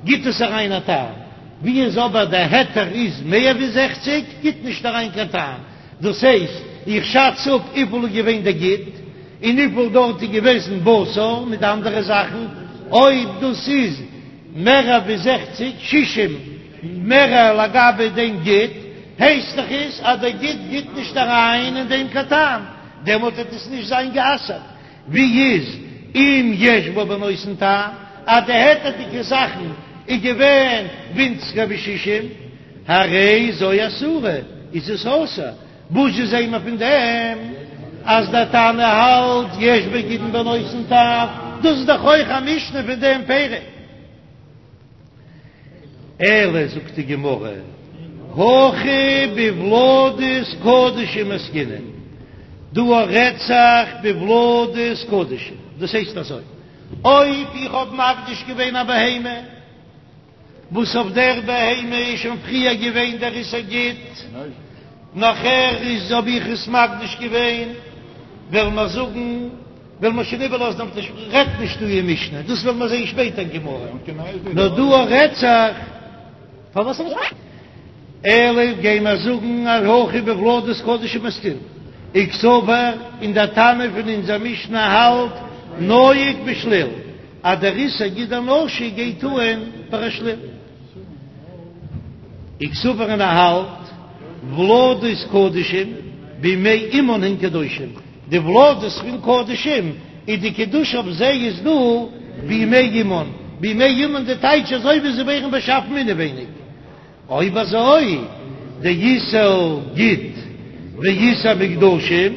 גיט עס אריין א טעם. ווי איז אבער דער היתר איז מער ווי זעכציק גיט נישט אריין קיין טעם, דאס הייסט איך שאץ אפ וויפיל איז געווען דער גיד און וויפיל דארט איז געוועזן בשר מיט אנדערע זאכן, אויב דאס איז מער ווי זעכציק, שישים מער לגבי דעם גיד, הייסט דאך עס אז דער גיד גיט נישט אריין אין דעם קיין טעם, דעמאלט וועט עס נישט זיין גע'אסר'ט. ווי איז אם יש בה בנותן טעם אז די היתר'דיגע זאכן איז געווען ווינציגער ווי שישים, הרי זו אסורה, איז עס אסור, וואס זשע זעהן מיר פון דעם אז דער תנא האלט יש בגידין בנותן טעם, דאס איז דאך אויך א משנה פון דעם פרק. אלא זאגט די גמרא, הכא בולדות קדשים עסקינן, דא רעדט זיך בולדות קדשים, דאס הייסט אזוי, אויב איך האב מקדיש געווען א בהמה, וואס אויף דער בהמה איז שוין פריער געווען דער איסור גיד, נאכער איז האב איך עס מקדיש געווען, וועלן מיר זאגן, וועלן מיר שוין איבערלאזן אויף די רעדט נישט דא אין משנה, דאס וועלן מיר זען שפעטער אין גמרא, נאר דא רעדט זיך פארוואס אלא גיי מיר זאגן אז הכא בולדות קדשים עסקינן וקסבר, און דער תנא פון אונזער משנה האלט נוהג בשליל אז דער איסור גיד הנשה גייט אן ביי א שליל. וקסבר און ער האלט ולדות קדשים בימי אמן הן קדושים, די ולדות פון קדשים איז די קדושה אויף זיי איז דא בימי אמן, בימי אמן די טייטש אזוי ווי זיי ווערן באשאפן אינעווייניג, אויב אזוי דאיסור גיד ואיסור מוקדשים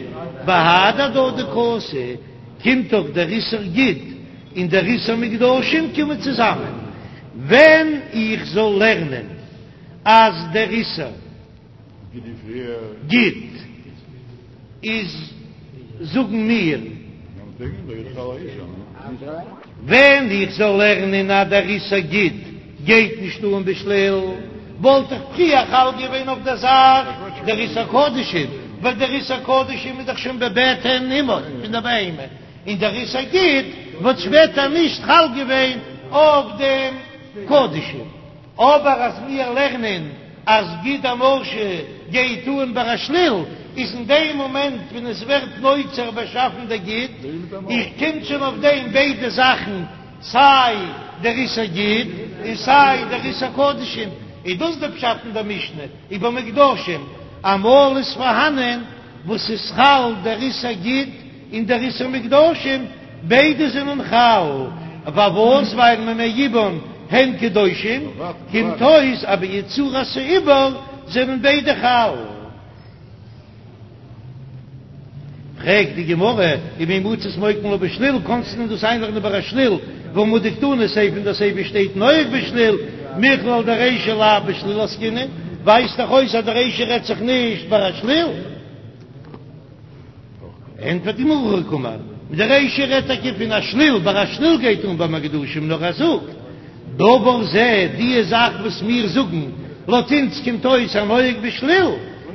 בהדי הדדי קאתי, קומט דאך דער איסור גיד און דער איסור מוקדשים קומען צוזאמען, ווען איך זאל לערנען אז דער איסור גיד איז זאגן מיר. ווען איך זאל לערנען אז דער איסור גיד גייט נישט אן בשליל, וואלט איך פריער חל געווען אויף דער זאך דער איסור קדשים, ווייל דער איסור קדשים איז דאך שוין בבטן אמו פון דער בהמה, און דער איסור גיד וואלט שפעטער נישט חל געווען אויף דעם קדשים. אבער אז מיר לערנען אז גיד הנשה גייט אן ביי א שליל, איז אין דעם מאמענט ווען עס ווערט נוצר באשאפן דער גיד, איך קומט שוין אויף דעם ביידע זאכן, סיי דער איסור גיד און סיי דער איסור קדשים, איז דאס דער פשט אין דער משנה ובמוקדשים, אמאל איז פארהאנען וואס איז חל דער איסור גיד און דער איסור מוקדשים, ביידע זענען חל, פארוואס? ווייל מימי אבן הן קדושים, קומט אויס אז ביצירת העובר זענען ביידע חל. פרעגט די גמרא, ומי מצית מוקמא לה בשליל, קאנסט דען דאס איינלערנען ביי א שליל, והא מדקתני סיפא, אין די סיפא שטייט נוהג בשליל, מכלל דרישא לאו בשליל עסקינן, ווייזט דאך אויס אז די רישא רעדט זיך נישט ביי א שליל. ענטפערט די גמרא הכי קאמר, די רישא רעדט טאקע פון א שליל, ביי א שליל גייט אן ביי מוקדשים, נאר ער זאגט דבר זה, די זאך וואס מיר זאגן לויט אונז קומט אויס הנוהג בשליל,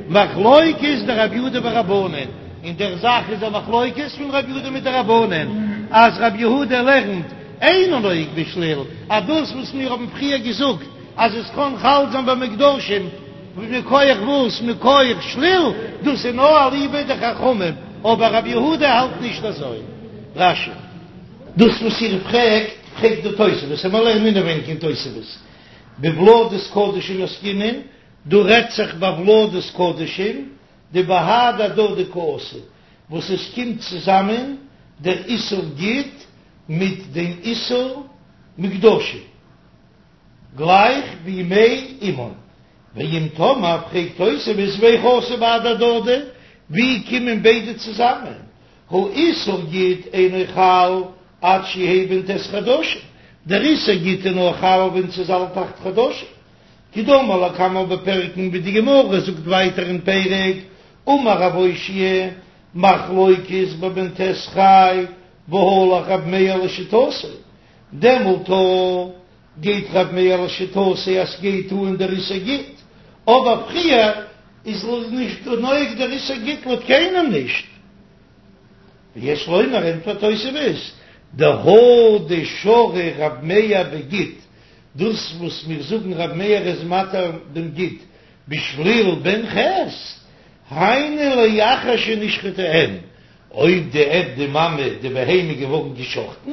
מחלוקת דרב יהודה ורבנן, אין דער זאך איז א מחלוקת פון רב יהודה מיט די רבנן, אז רב יהודה לערנט אינו נוהג בשליל, אז דאס וואס מיר האבן פריער געזאגט אז עס קען חל זיין ביי מוקדשים, מכח וואס? מכח שליל? דאס איז נאר אליבא דחכמים, אבער רבי יהודה האלט נישט אזוי. רש"י. דאס וואס איר פרעגט, פרעגט די תוספות, און מיר לערנען אינעווייניג אין תוספות, בולדות קדשים עסקינן, דא רעדט זיך ביי ולדות קדשים, דבהדי הדדי קאתו, וואס עס קומט צוזאמען דער איסור גיד מיט דעם איסור מוקדשים. גלייך ווי מי אמן. ואם תאמר פרעגט תוספות והיכי אתו בהדי הדדי, ווי קומען ביידע צוזאמען? הא איסור גיד אינו חל עד שיהא בן ט' חדשים, דער איסור גיד איז נאר חל ווען ס'איז אלט אכט חדשים, כדאמר לקמן בפרק ווי די גמרא זאגט ווייטער אין פרק, אמר רב אושעיא, מחלוקת בבן ט' חי, והלך רב מאיר לשיטתו, דעמאלט גייט רב מאיר לשיטתו אז ס'גייט אן דער איסור גיד, אבער פריער איז נישט נוהג דער איסור גיד לויט קיינעם נישט. ויש לומר ענטפערט תוספות, דהא דשרי רב מאיר בגיד, דאס וואס מיר זאגן רב מאיר איז מתיר דעם גיד בשליל בן ח', היינו לאחר שנשחטה אם, אויב די אם די מאמע די בהמה איז געווארן געשחטן,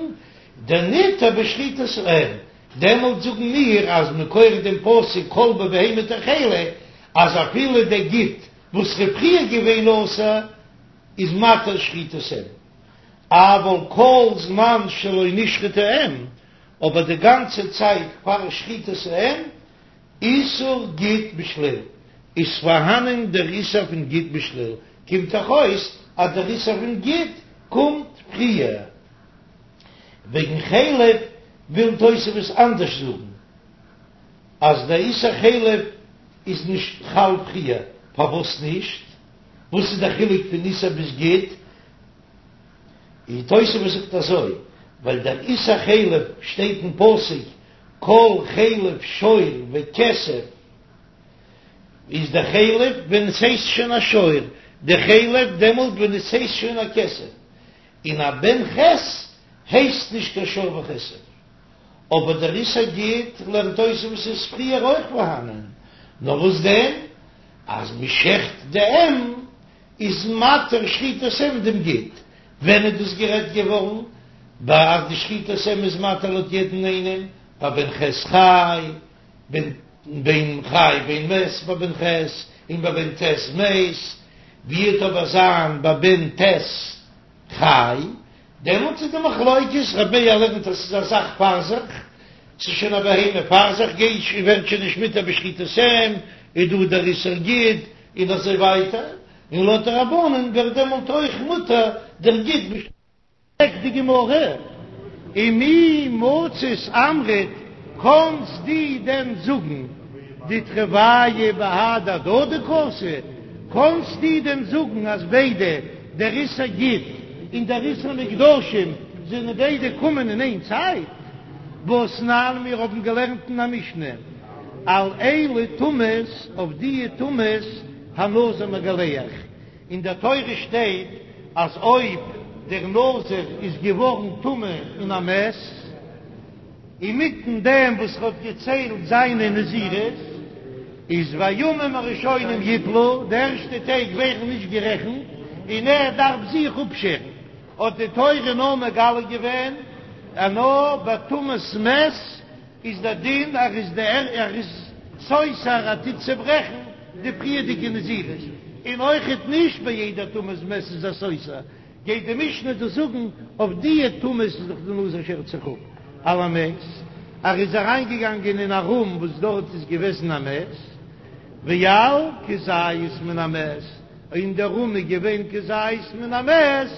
דניתר בשחיטת האם, דעמאלט זאגן מיר אז מכח דעם פסוק כל בבהמה תאכלו, אז אפילו דער גיד וואס איז פריער געווען אסור איז מתיר שחיטת אם, אבל כל זמן שלא נשחטה אם, אבער די גאנצע צייט פאר שחיטת האם איסור גיד בשליל, איז פארהאנען דער איסור פון גיד בשליל, קומט דאך אויס אז דער איסור פון גיד קומט פריער. וועגן חלב וויל תוספות אנדערש זאגן, אז דער איסור חלב איז נישט חל פריער, פארוואס נישט? וואס איז דער חילוק פון איסור ביז גיד? און תוספות זאגט אזוי, ווייל דער איסור חלב שטייט אין פסוק כל חלב שור וכשב איז די חלב ווען עס הייסט שוין א שור, די חלב דעמאלט ווען עס הייסט שוין א כשב, און א בן ח' הייסט נישט קיין שור וכשב. אבער דער איסור גיד לערנט תוספות איז פריער אויך פארהאנען, נאר וואס דען אז מ'שעכט די אם איז מתיר שחיטת אם דעם גיד, ווען איז דאס גערעדט געווארן? ביי אז די שחיטת אם איז מתיר לויט יעדן איינעם, ביי בן ח' חי, בין בין חי בין מת ביי בן ח', און ביי בן ט' מת, ווי וועט אבער זיין ביי בן ט' חי, דעמאלטס איז די מחלוקת, רבי מאיר לערנט אז ס'איז א זאך פאר זיך, ס'איז שוין א בהמה פאר זיך, גייט שוין ווערט שוין נישט מותר בשחיטת אם, איז דא דער איסור גיד, און אזוי ווייטער, און לויט די רבנן ווערט דעמאלט אויך מותר דער גיד בש. פרעגט די גמרא, ומי מצית אמרת, קאנסט דו דען זאגן דתרוייהו בהדי הדדי קאתו, קאנסט דו דען זאגן אז ביידע דער איסור גיד און דער איסור מוקדשים זענען ביידע קומען אין איין צייט? והתנן מיר האבן געלערנט אין א משנה על אלו טומאות, אויף דיע טומאות הנזיר מגלח, אין דער תורה שטייט אז אויב דער נזיר איז געווארן טמא אין א מת, אינמיטן דעם וואס ער האט געציילט זיינע נזירות, איז והימים הראשונים יפלו, די ערשטע טעג ווערן נישט גערעכנט, און ער דארף זיך אפשערן, האט די תורה נאר מגלה געווען אז נאר ביי טומאת מת איז דער דין ער איז דער ער איז סותר ער טוט צעברעכן די פריערדיגע נזירות, און אויכעט נישט ביי יעדע טומאת מת איז ער סותר, גייט די משנה דא זאגן אויף דיע טומאות איז דאך די נזיר שערט זיך אפ על המת, ער איז אריינגעגאנגען אין א רום וואס דארט איז געוועזן א מת, ועל כזית מן המת, אין דער רום איז געווען כזית מן המת,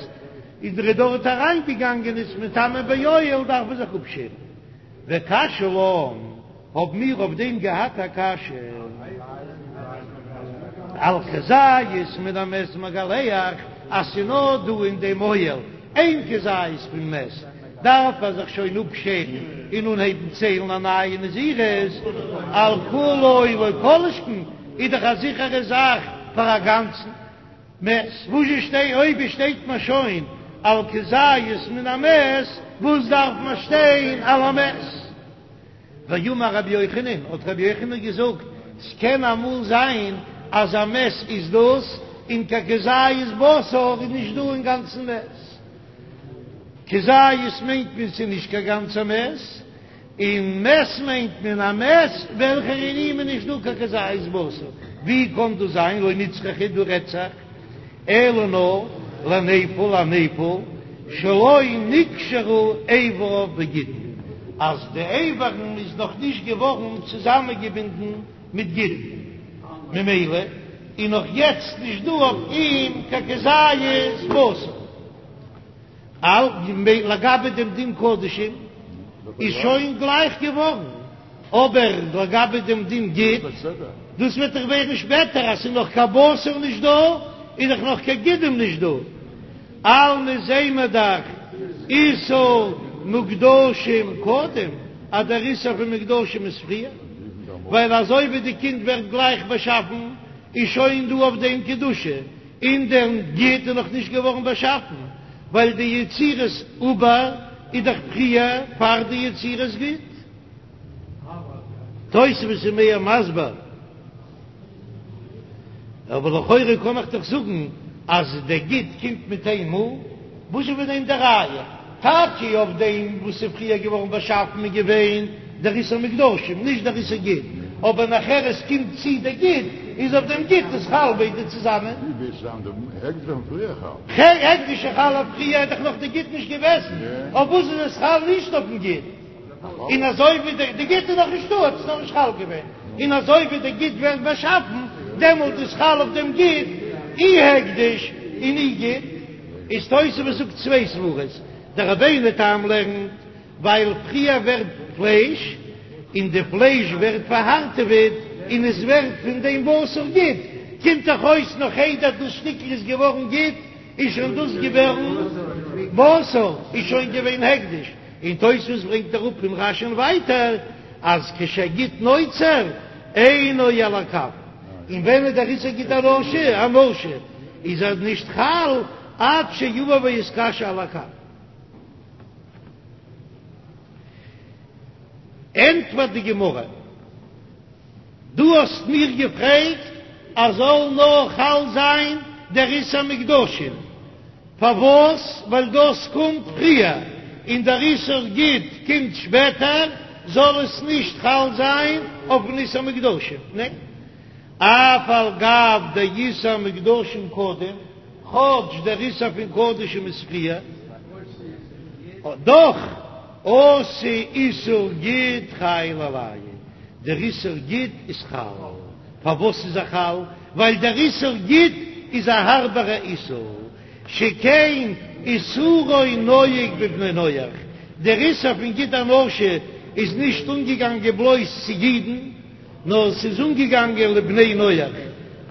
איז ער דארט אריינגעגאנגען איז מטמא באוהל דארף מען זיך אפשערן. וקשיא לן, האבן מיר אויף דעם געהאט א קשיא, על כזית מן המת מגלח, אז ס'איז נאר דא אין דעם אוהל איין כזית פון מת, דארף ער זיך שוין אפשערן און אנהייבן ציילן א נייע נזירות, על כולו לא כל שכן, איז דאך א זיכערע זאך פאר א גאנצן מת, וואס זשע שטיי אויב שטייט מען שוין על כזית מן המת, וואס דארף מען שטיין על המת? ואמר רבי יוחנן, האט רבי יוחנן געזאגט, ס'קען אמאל זיין אז א מת איז דאס, און קיין כזית בשר איז נישט דא אינגאנצן מת. כזית מיינט מען ס'איז נישט קיין גאנצע מת, און מת מיינט מען א מת וועלכער אין אים איז נישט דא קיין כזית בשר. ווי קען דאס זיין? לא נצרכא, דא רעדט זיך אלא נאר לנפל א נפל שלא נקשרו איבריו בגידין, אז די איברים איז נאך נישט געווארן צוזאמענגעבינדן מיט גידין, ממילא איז נאך יעצט נישט דא אויף אים קיין כזית בשר. לגבי דעם דין קדשים איז שוין גלייך געווארן, אבער לגבי דעם דין גיד, דאס וועט דאך ווערן שפעטער, אז ס'איז נאך קיין בשר נישט דא, איז דאך נאך קיין גידים נישט דא, אלמא זעען מיר דאך איסור מוקדשים קודם, אז דער איסור פון מוקדשים איז פריער, ווייל אזוי ווי די קינד ווערט גלייך באשאפן, איז שוין דא אויף דעם קדושה, און דער גיד איז נאך נישט געווארן באשאפן, ווייל די יצירת עובר איז דאך פריער פאר די יצירת גיד. תוספות איז מער מסביר, אבער לכאורה קען איך דאך זאגן אז דער גיד קומט מיט איין מאל, וואס איז פון דעם די ראיה? טאקע אויף דעם וואס איז פריער געווארן באשאפן איז געווען דער איסור מוקדשים, נישט דער איסור גיד, אבער נאכער עס קומט צו דער גיד, איז אויף דעם גיד איז חל ביידע צוזאמען. ווי וועט זיין דער הקדש ווען פריער חל? הקדש איז חל אויף פריער איז דאך נאך די גיד נישט געוועזן, אויף וואס איז עס חל נישט אויפן גיד? און אזוי ווי די גיד איז נאך נישטא האט עס נאך נישט חל געווען, און אזוי ווי די גיד ווערט באשאפן דעמאלט איז חל אויף דעם גיד אי הקדש און אי גיד. איז תוספות זאגט צוויי סברות, דער רבינו תם לערנט ווייל פריער ווערט פלייש און די פלייש ווערט פארהארטעוועט און עס ווערט פון דעם בשר גיד, קומט דאך אויס נאך איידער דאס שטיקל איז געווארן גיד איז שוין דאס געווארן בשר, איז שוין געווען הקדש, און תוספות ברענגט אראפ פון רש"י'ן ווייטער אז כשהגיד נוצר אינו על הקב, און ווען איז דער איסור גיד הנשה? הנשה איז ער נישט חל עד שיבא ויתקשה על הקב. ענטפערט די גמרא, דו האסט מיר געפרעגט אז זאל נאר חל זיין דער איסור מוקדשין, פארוואס? ווייל דאס קומט פריער און דער איסור גיד קומט שפעטער, זאל עס נישט חל זיין אויפן איסור מוקדשין? ניין, אף על גב דאיסור מוקדשין קודם, כאטש דער איסור פון קדשים איז פריער, דאך אתי איסור גיד חיילא עלייהו, דער איסור גיד איז חל. פארוואס איז ער חל? ווייל דער איסור גיד איז א הארבערע איסור, שכן איסורו נוהג בבני נח, דער איסור פון גיד הנשה איז נישט אנגעגאנגען בלויז צו אידן, נאר ס'איז אנגעגאנגען לבני נח.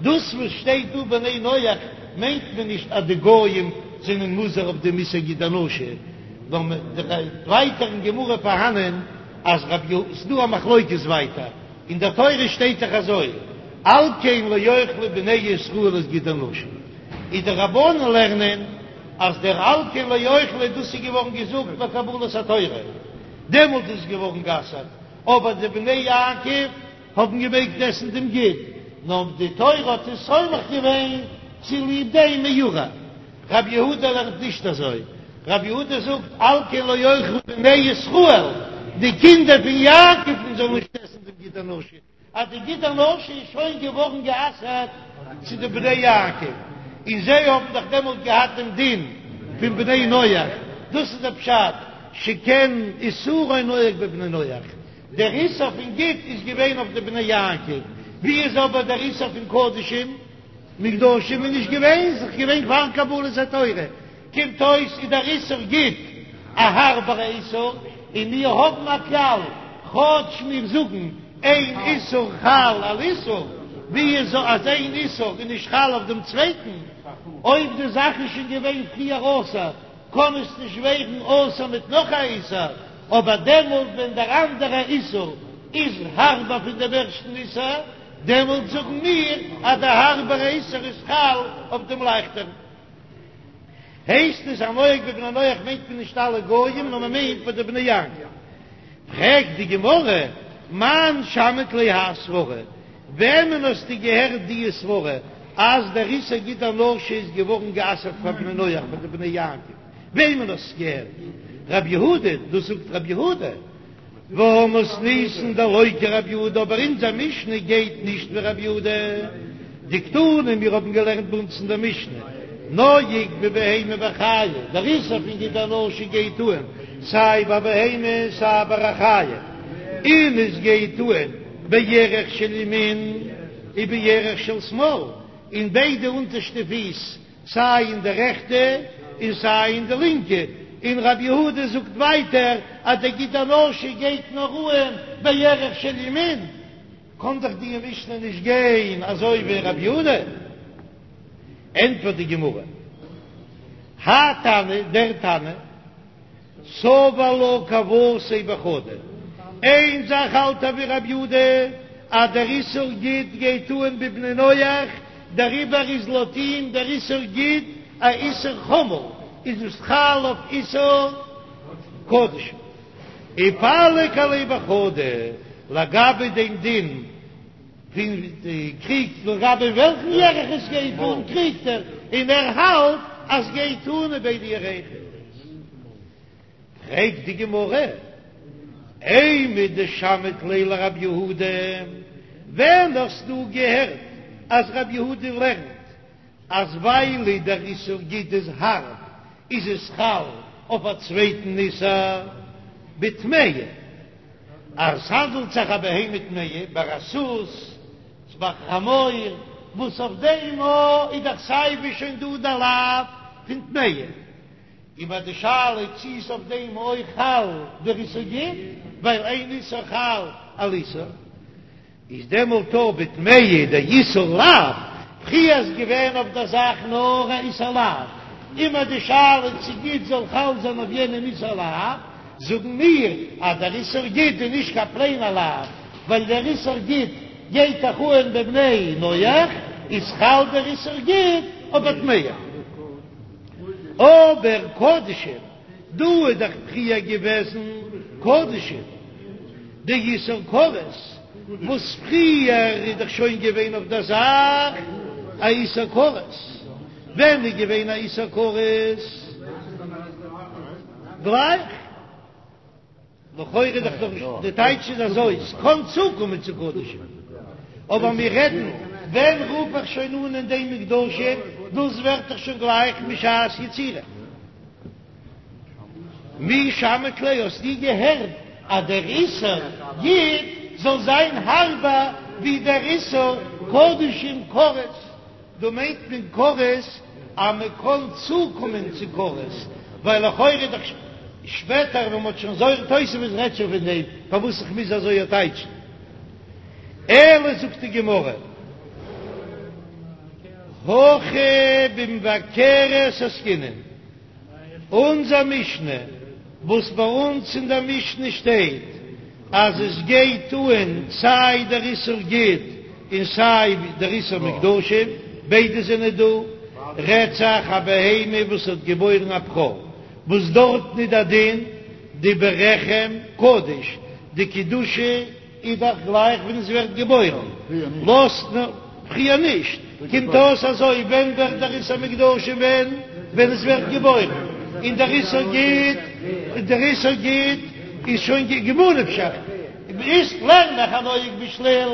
דאס וואס שטייט דא בני נח מיינט מען נישט אז די גויים זענען מוזהר אויף דעם איסור גיד הנשה, נאר ווייטער אין גמרא פארהאנען אז רב יהודה, ס'דא א מחלוקת ווייטער. אין דער תורה שטייט דאך אזוי, על כן לא יאכלו בני ישראל את גיד הנשה, איז די רבנן לערנען אז דער על כן לא יאכלו דאס איז געווארן געזאגט ביי קבלת התורה, דעמאלט איז עס געווארן גע'אסר'ט, אבער די בני יעקב האבן געמעגט עסן דעם גיד, נאר די תורה האט עס סומך געווען צוליב דעם מעורר. רבי יהודה לערנט נישט אזוי, רבי יהודה זאגט על כן לא יאכלו בני ישראל, די קינדער פון יעקב'ן זאלן נישט עסן דעם גיד הנשה, אז די גיד הנשה איז שוין געווארן גע'אסר'ט צו די בני יעקב, און זיי האבן דאך דעמאלט געהאט דעם דין פון בני נח, דאס איז דער פשט, שכן איסורו נוהג בבני נח, דער איסור פון גיד איז געווען אויף די בני יעקב, ווי איז אבער דער איסור פון קדשים? מוקדשים איז נישט געווען, ס'איז געווען פאר קבלת התורה, קומט אויס איז דער איסור גיד א הארבערע איסור, און מיר האבן א כלל, כאטש מיר זאגן אין איסור חל על איסור, ווי איז אז איין איסור איז נישט חל אויף דעם צווייטן, אויב די זאך איז שוין געווען פריער אסור קען עס נישט ווערן אסור מיט נאך א איסור, אבער דעמאלט ווען דער אנדערע איסור איז הארבער פון דעם ערשטן איסור, דעמאלט זאגן מיר אז דער הארבערע איסור איז חל אויף דעם לייכטערן. הייסט עס הנוהג בבני נח מיינט מען נישט אלע גויים נאר מען מיינט ביי די בני יעקב. פרעגט די גמרא, מאן שמעת ליה האי סברא, וועמען האסטו געהערט די סברא אז דער איסור גיד הנשה איז געווארן גע'אסר'ט פאר בני נח פאר די בני יעקב, וועמען האסטו געהערט? רב יהודה, דאס זאגט רב יהודה. והא מתניתין דלא כרב יהודה, אבער אונזער משנה גייט נישט ווי רב יהודה, דקתני מיר האבן געלערנט ביי אונז אין דער משנה, נוהג בבהמה וחיה, דער איסור פון גיד הנשה גייט אהן סיי ביי בהמה סיי ביי א חיה, און עס גייט אהן בירך של ימין ובירך של שמאל, אין ביידע אונטערשטע פיס סיי אין די רעכטע און סיי אין די לינקע, און רבי יהודה זאגט ווייטער אז דער גיד הנשה גייט נאר אהן בירך של ימין, קען דאך די משנה נישט גיין אזוי ווי רבי יהודה. ענטפערט די גמרא, האי תנא, דער תנא, סבר לה כוותיה בחדא, איין זאך האלט ער ווי רבי יהודה אז דער איסור גיד גייט אהן בבני נח, דעריבער איז לויט אים דער איסור גיד א איסור חמור, איז עס חל אויף איסור קדשים. ופליג עליה בחדא, לגבי דעם דין פון די קריגט לגבי וועלכן ירך עס גייט אן קריגט ער, און ער האלט אז גייט אן אין ביידע ירכות. פרעגט די גמרא, אימר דשמעת ליה לרב יהודה, ווען האסטו געהערט אז רב יהודה לערנט אז ווייל דער איסור גיד איז הארב איז עס חל אויף א צווייטן איסור בטמאה, אז ס'האנדלט זיך א בהמה טמאה ביי א סוס ביי א חמור, וואס אויף דעם איז דאך סייווי שוין דא די לאו פון טמאה, און ביי די שאלה צי איז אויף דעם אויך חל דער איסור גיד, ווייל אין איסור חל על איסור. איז דעמאלט אויב בטמאה דאיסור לאו, פריער איז געווען אויף דער זאך נאר א איסור לאו, אימער די שאלה צי גיד זאל חל זיין אויף יענעם איסור לאו, זאגן מיר אז דער איסור גיד איז נישט קיין פלעינער לאו, ווייל דער איסור גיד גייט דאך אהן בבני נח, איז חל דער איסור גיד אויף א טמאה. אבער קדשים. דא איז דאך פריער געוועזן קדשים דאיסור כרת, וואס פריער איז דאך שוין געווען אויף דער זאך א איסור כרת, ווען איז געווען א איסור כרת? גלייך. לכאורה איז דאך נאך נישט, די טייטש איז אזוי, ס'קען צוקומען צו קדשים, אבער מיר רעדן ווען רוף איך שוין אן אין דעם מוקדשים, דאס ווערט דאך שוין גלייך משעת יצירה. מי שמעת ליה, האסטו געהערט אז דער איסור גיד זאל זיין הארבער ווי דער איסור קדשים כרת? דא מיינט מען כרת אז מען קען צוקומען צו כרת, ווייל לכאורה איז דאך שפעטער ווען מען האט שוין זוהר תוספות רעדט שוין פון דעם פארוואס איך מוז אזוי טייטשן. אלא זאגט די גמרא הכא במבכרת עסקינן. אונזער משנה, וואס ביי אונז אין דער משנה שטייט אז עס גייט אהן סיי דער איסור גיד און סיי דער איסור מוקדשים, ביידע זענען דא, רעדט זיך א בהמה וואס האט געבוירן א בכור, וואס דארטן איז דער דין דברחם קדוש, די קדושה איז דאך גלייך ווען עס ווערט געבוירן, לאזט מען פריער נישט, קומט אויס אזוי, ווען ווערט דער איסור מוקדשים ווען ווען עס ווערט געבוירן, און דער איסור גיד, דער איסור גיד איז שוין ממה נפשך, איז לערן איך הנוהג בשליל,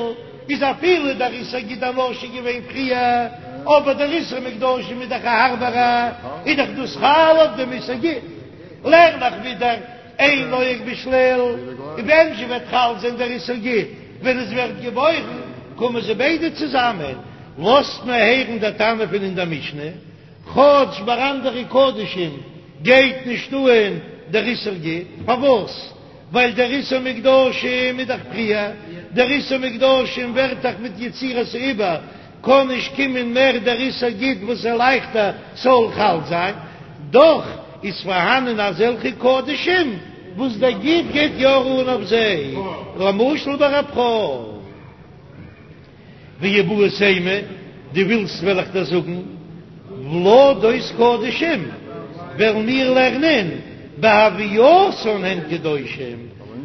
איז אפילו דער איסור גיד הנשה געווען פריער, אבער דער איסור מוקדשים איז דאך א הארבערע, איז דאך דאס חל אויף דעם איסור גיד, לערן איך ווידער. אין נוהג בשליל, און ווען זשע וועט חל זיין דער איסור גיד ווען עס ווערט געבוירן, קומען זיי ביידע צוזאמען, לאזט מען הערן דער תנא פון אין דער משנה, כאטש ביי אנדערע קדשים גייט נישט אהן דער איסור גיד, פארוואס? ווייל דער איסור מוקדשים איז דאך פריער, דער איסור מוקדשים ווערט דאך מיט יצירת העובר, קען נישט קומען מער דער איסור גיד וואס איז לייכטער ס'זאל חל זיין, דאך איז פארהאנען אזעלכע קדשים וואס דער גיד גייט יא אן אויף זיי, למשל ביי א בכור. ואיבעית אימא, דו ווילסט וועל איך דיר זאגן, ולדות קדשים וועלן מיר לערנען בהווייתן הן קדושים,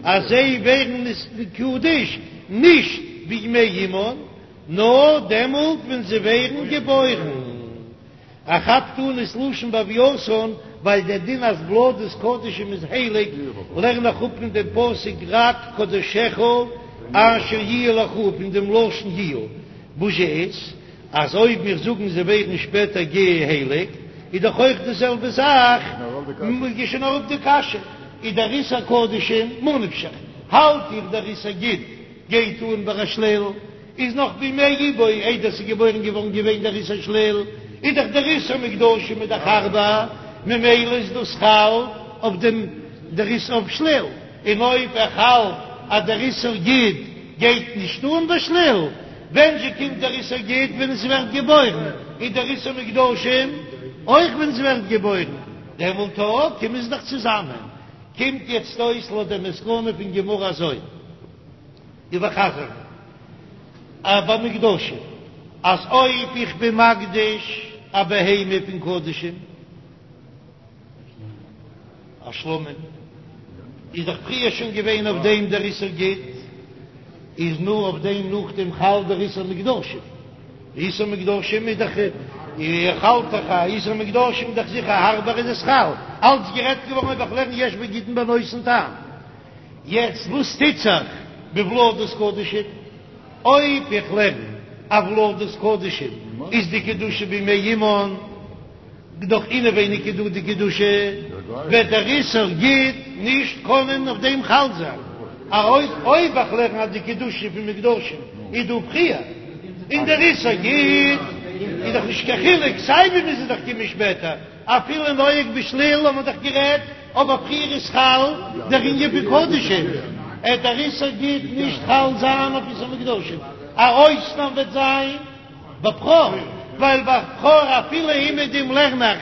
אז זיי ווערן נתקדש נישט בימי אמן, נאר דעמאלט ווען זיי ווערן געבוירן. ער כאפט אן דאס לשון בהווייתן, ווייל דער דין אז ולדות קדשים איז הייליג, לערן איך אפ פון דעם פסוק רק קדשך אשר יהיו לך פון דעם לשון יהיו, וואס זשע איז אז אויב מיר זאגן זיי ווערן שפעטער געהייליגט, איז דאך אויך די זעלבע זאך, איז שוין אראפ די קשיא, איז דער איסור קדשים ממה נפשך, האלט איך דער איסור גיד גייט אן ביי א שליל. איז נאך בימי איבו איידער ס'איז געבוירן געווארן געווען דער איסור שליל, איז דאך דער איסור מוקדשים איז דאך הארבער, ממילא איז דאס חל אויף דעם דער איסור אויף שליל, און אויב איך האלט אז דער איסור גיד גייט נישט אן ביי שליל, ווען זשע קומט דער איסור גיד ווען עס ווערט געבוירן, איז דער איסור מוקדשים אויך ווען עס ווערט געבוירן, דעמאלט אויך קומען זיי דאך צוזאמען, קומט יעצט אויס לויט דער מסקנא פון גמרא אזוי. איבערחזר'ן ביי מוקדשים אז אויב איך בין מקדיש א בהמה פון קדשים א שלמים איז דאך פריער שוין געווען אויף דעם דער איסור גיד איז נאר אויף דעם נאכדעם חל דער איסור מוקדשים איסור מוקדשים איז דאך איך האלט דאך א איסור מוקדשים איז דאך זיכער הארבער איז עס חל אלץ גערעדט געווארן אויב איך לערן יש בגידין בנותן טעם. יעצט וואס טוט זיך בולדות קדשים? אויב איך לערן אז ולדות קדשים איז די קדושה בימי אמן, דאך אינעווייניג איז דא די קדושה, וועט דער איסור גיד נישט קענען אויף דעם חל זיין. אויב איך לערן אז די קדושה פון מוקדשים איז דא פריער, און דער איסור גיד איז דאך נישט קיין חילוק, סיי ווי מוז עס דאך קומען שפעטער. אפילו נוהג בשליל האט מען דאך גערעדט, אבער פריער איז חל דער ענין פון קדשים, עט דער איסור גיד נישט חל זיין אויף איסור מוקדשים, א אויסנאם וועט זיין בבכור, ווייל ביי בכור אפילו אומעדום לערן איך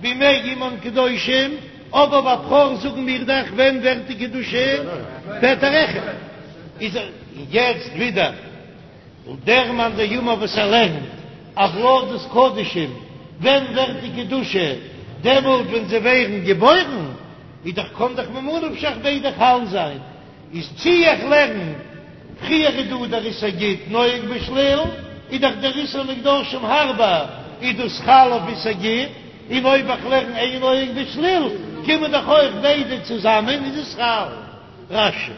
בימי אמן קדושים, אבער ביי בכור זאגן מיר דאך ווען ווערט די קדושה שפעטער איז יעצט ווידער. און דער מאן דאמר וואס ער לערנט אז ולדות קדשים, ווען ווערט די קדושה? דעמאלט ווען זיי ווערן געבוירן, איז דאך קאן דאך ממה נפשך ביידע חל זיין, איז צי איך לערן פריער איז דא דער איסור גיד נוהג בשליל, איז דאך דער איסור מוקדשים הארבער, איז דאס חל אויף איסור גיד, און אויב איך לערן אין נוהג בשליל, קומען דאך אויך ביידע צוזאמען איז עס חל. רש"י.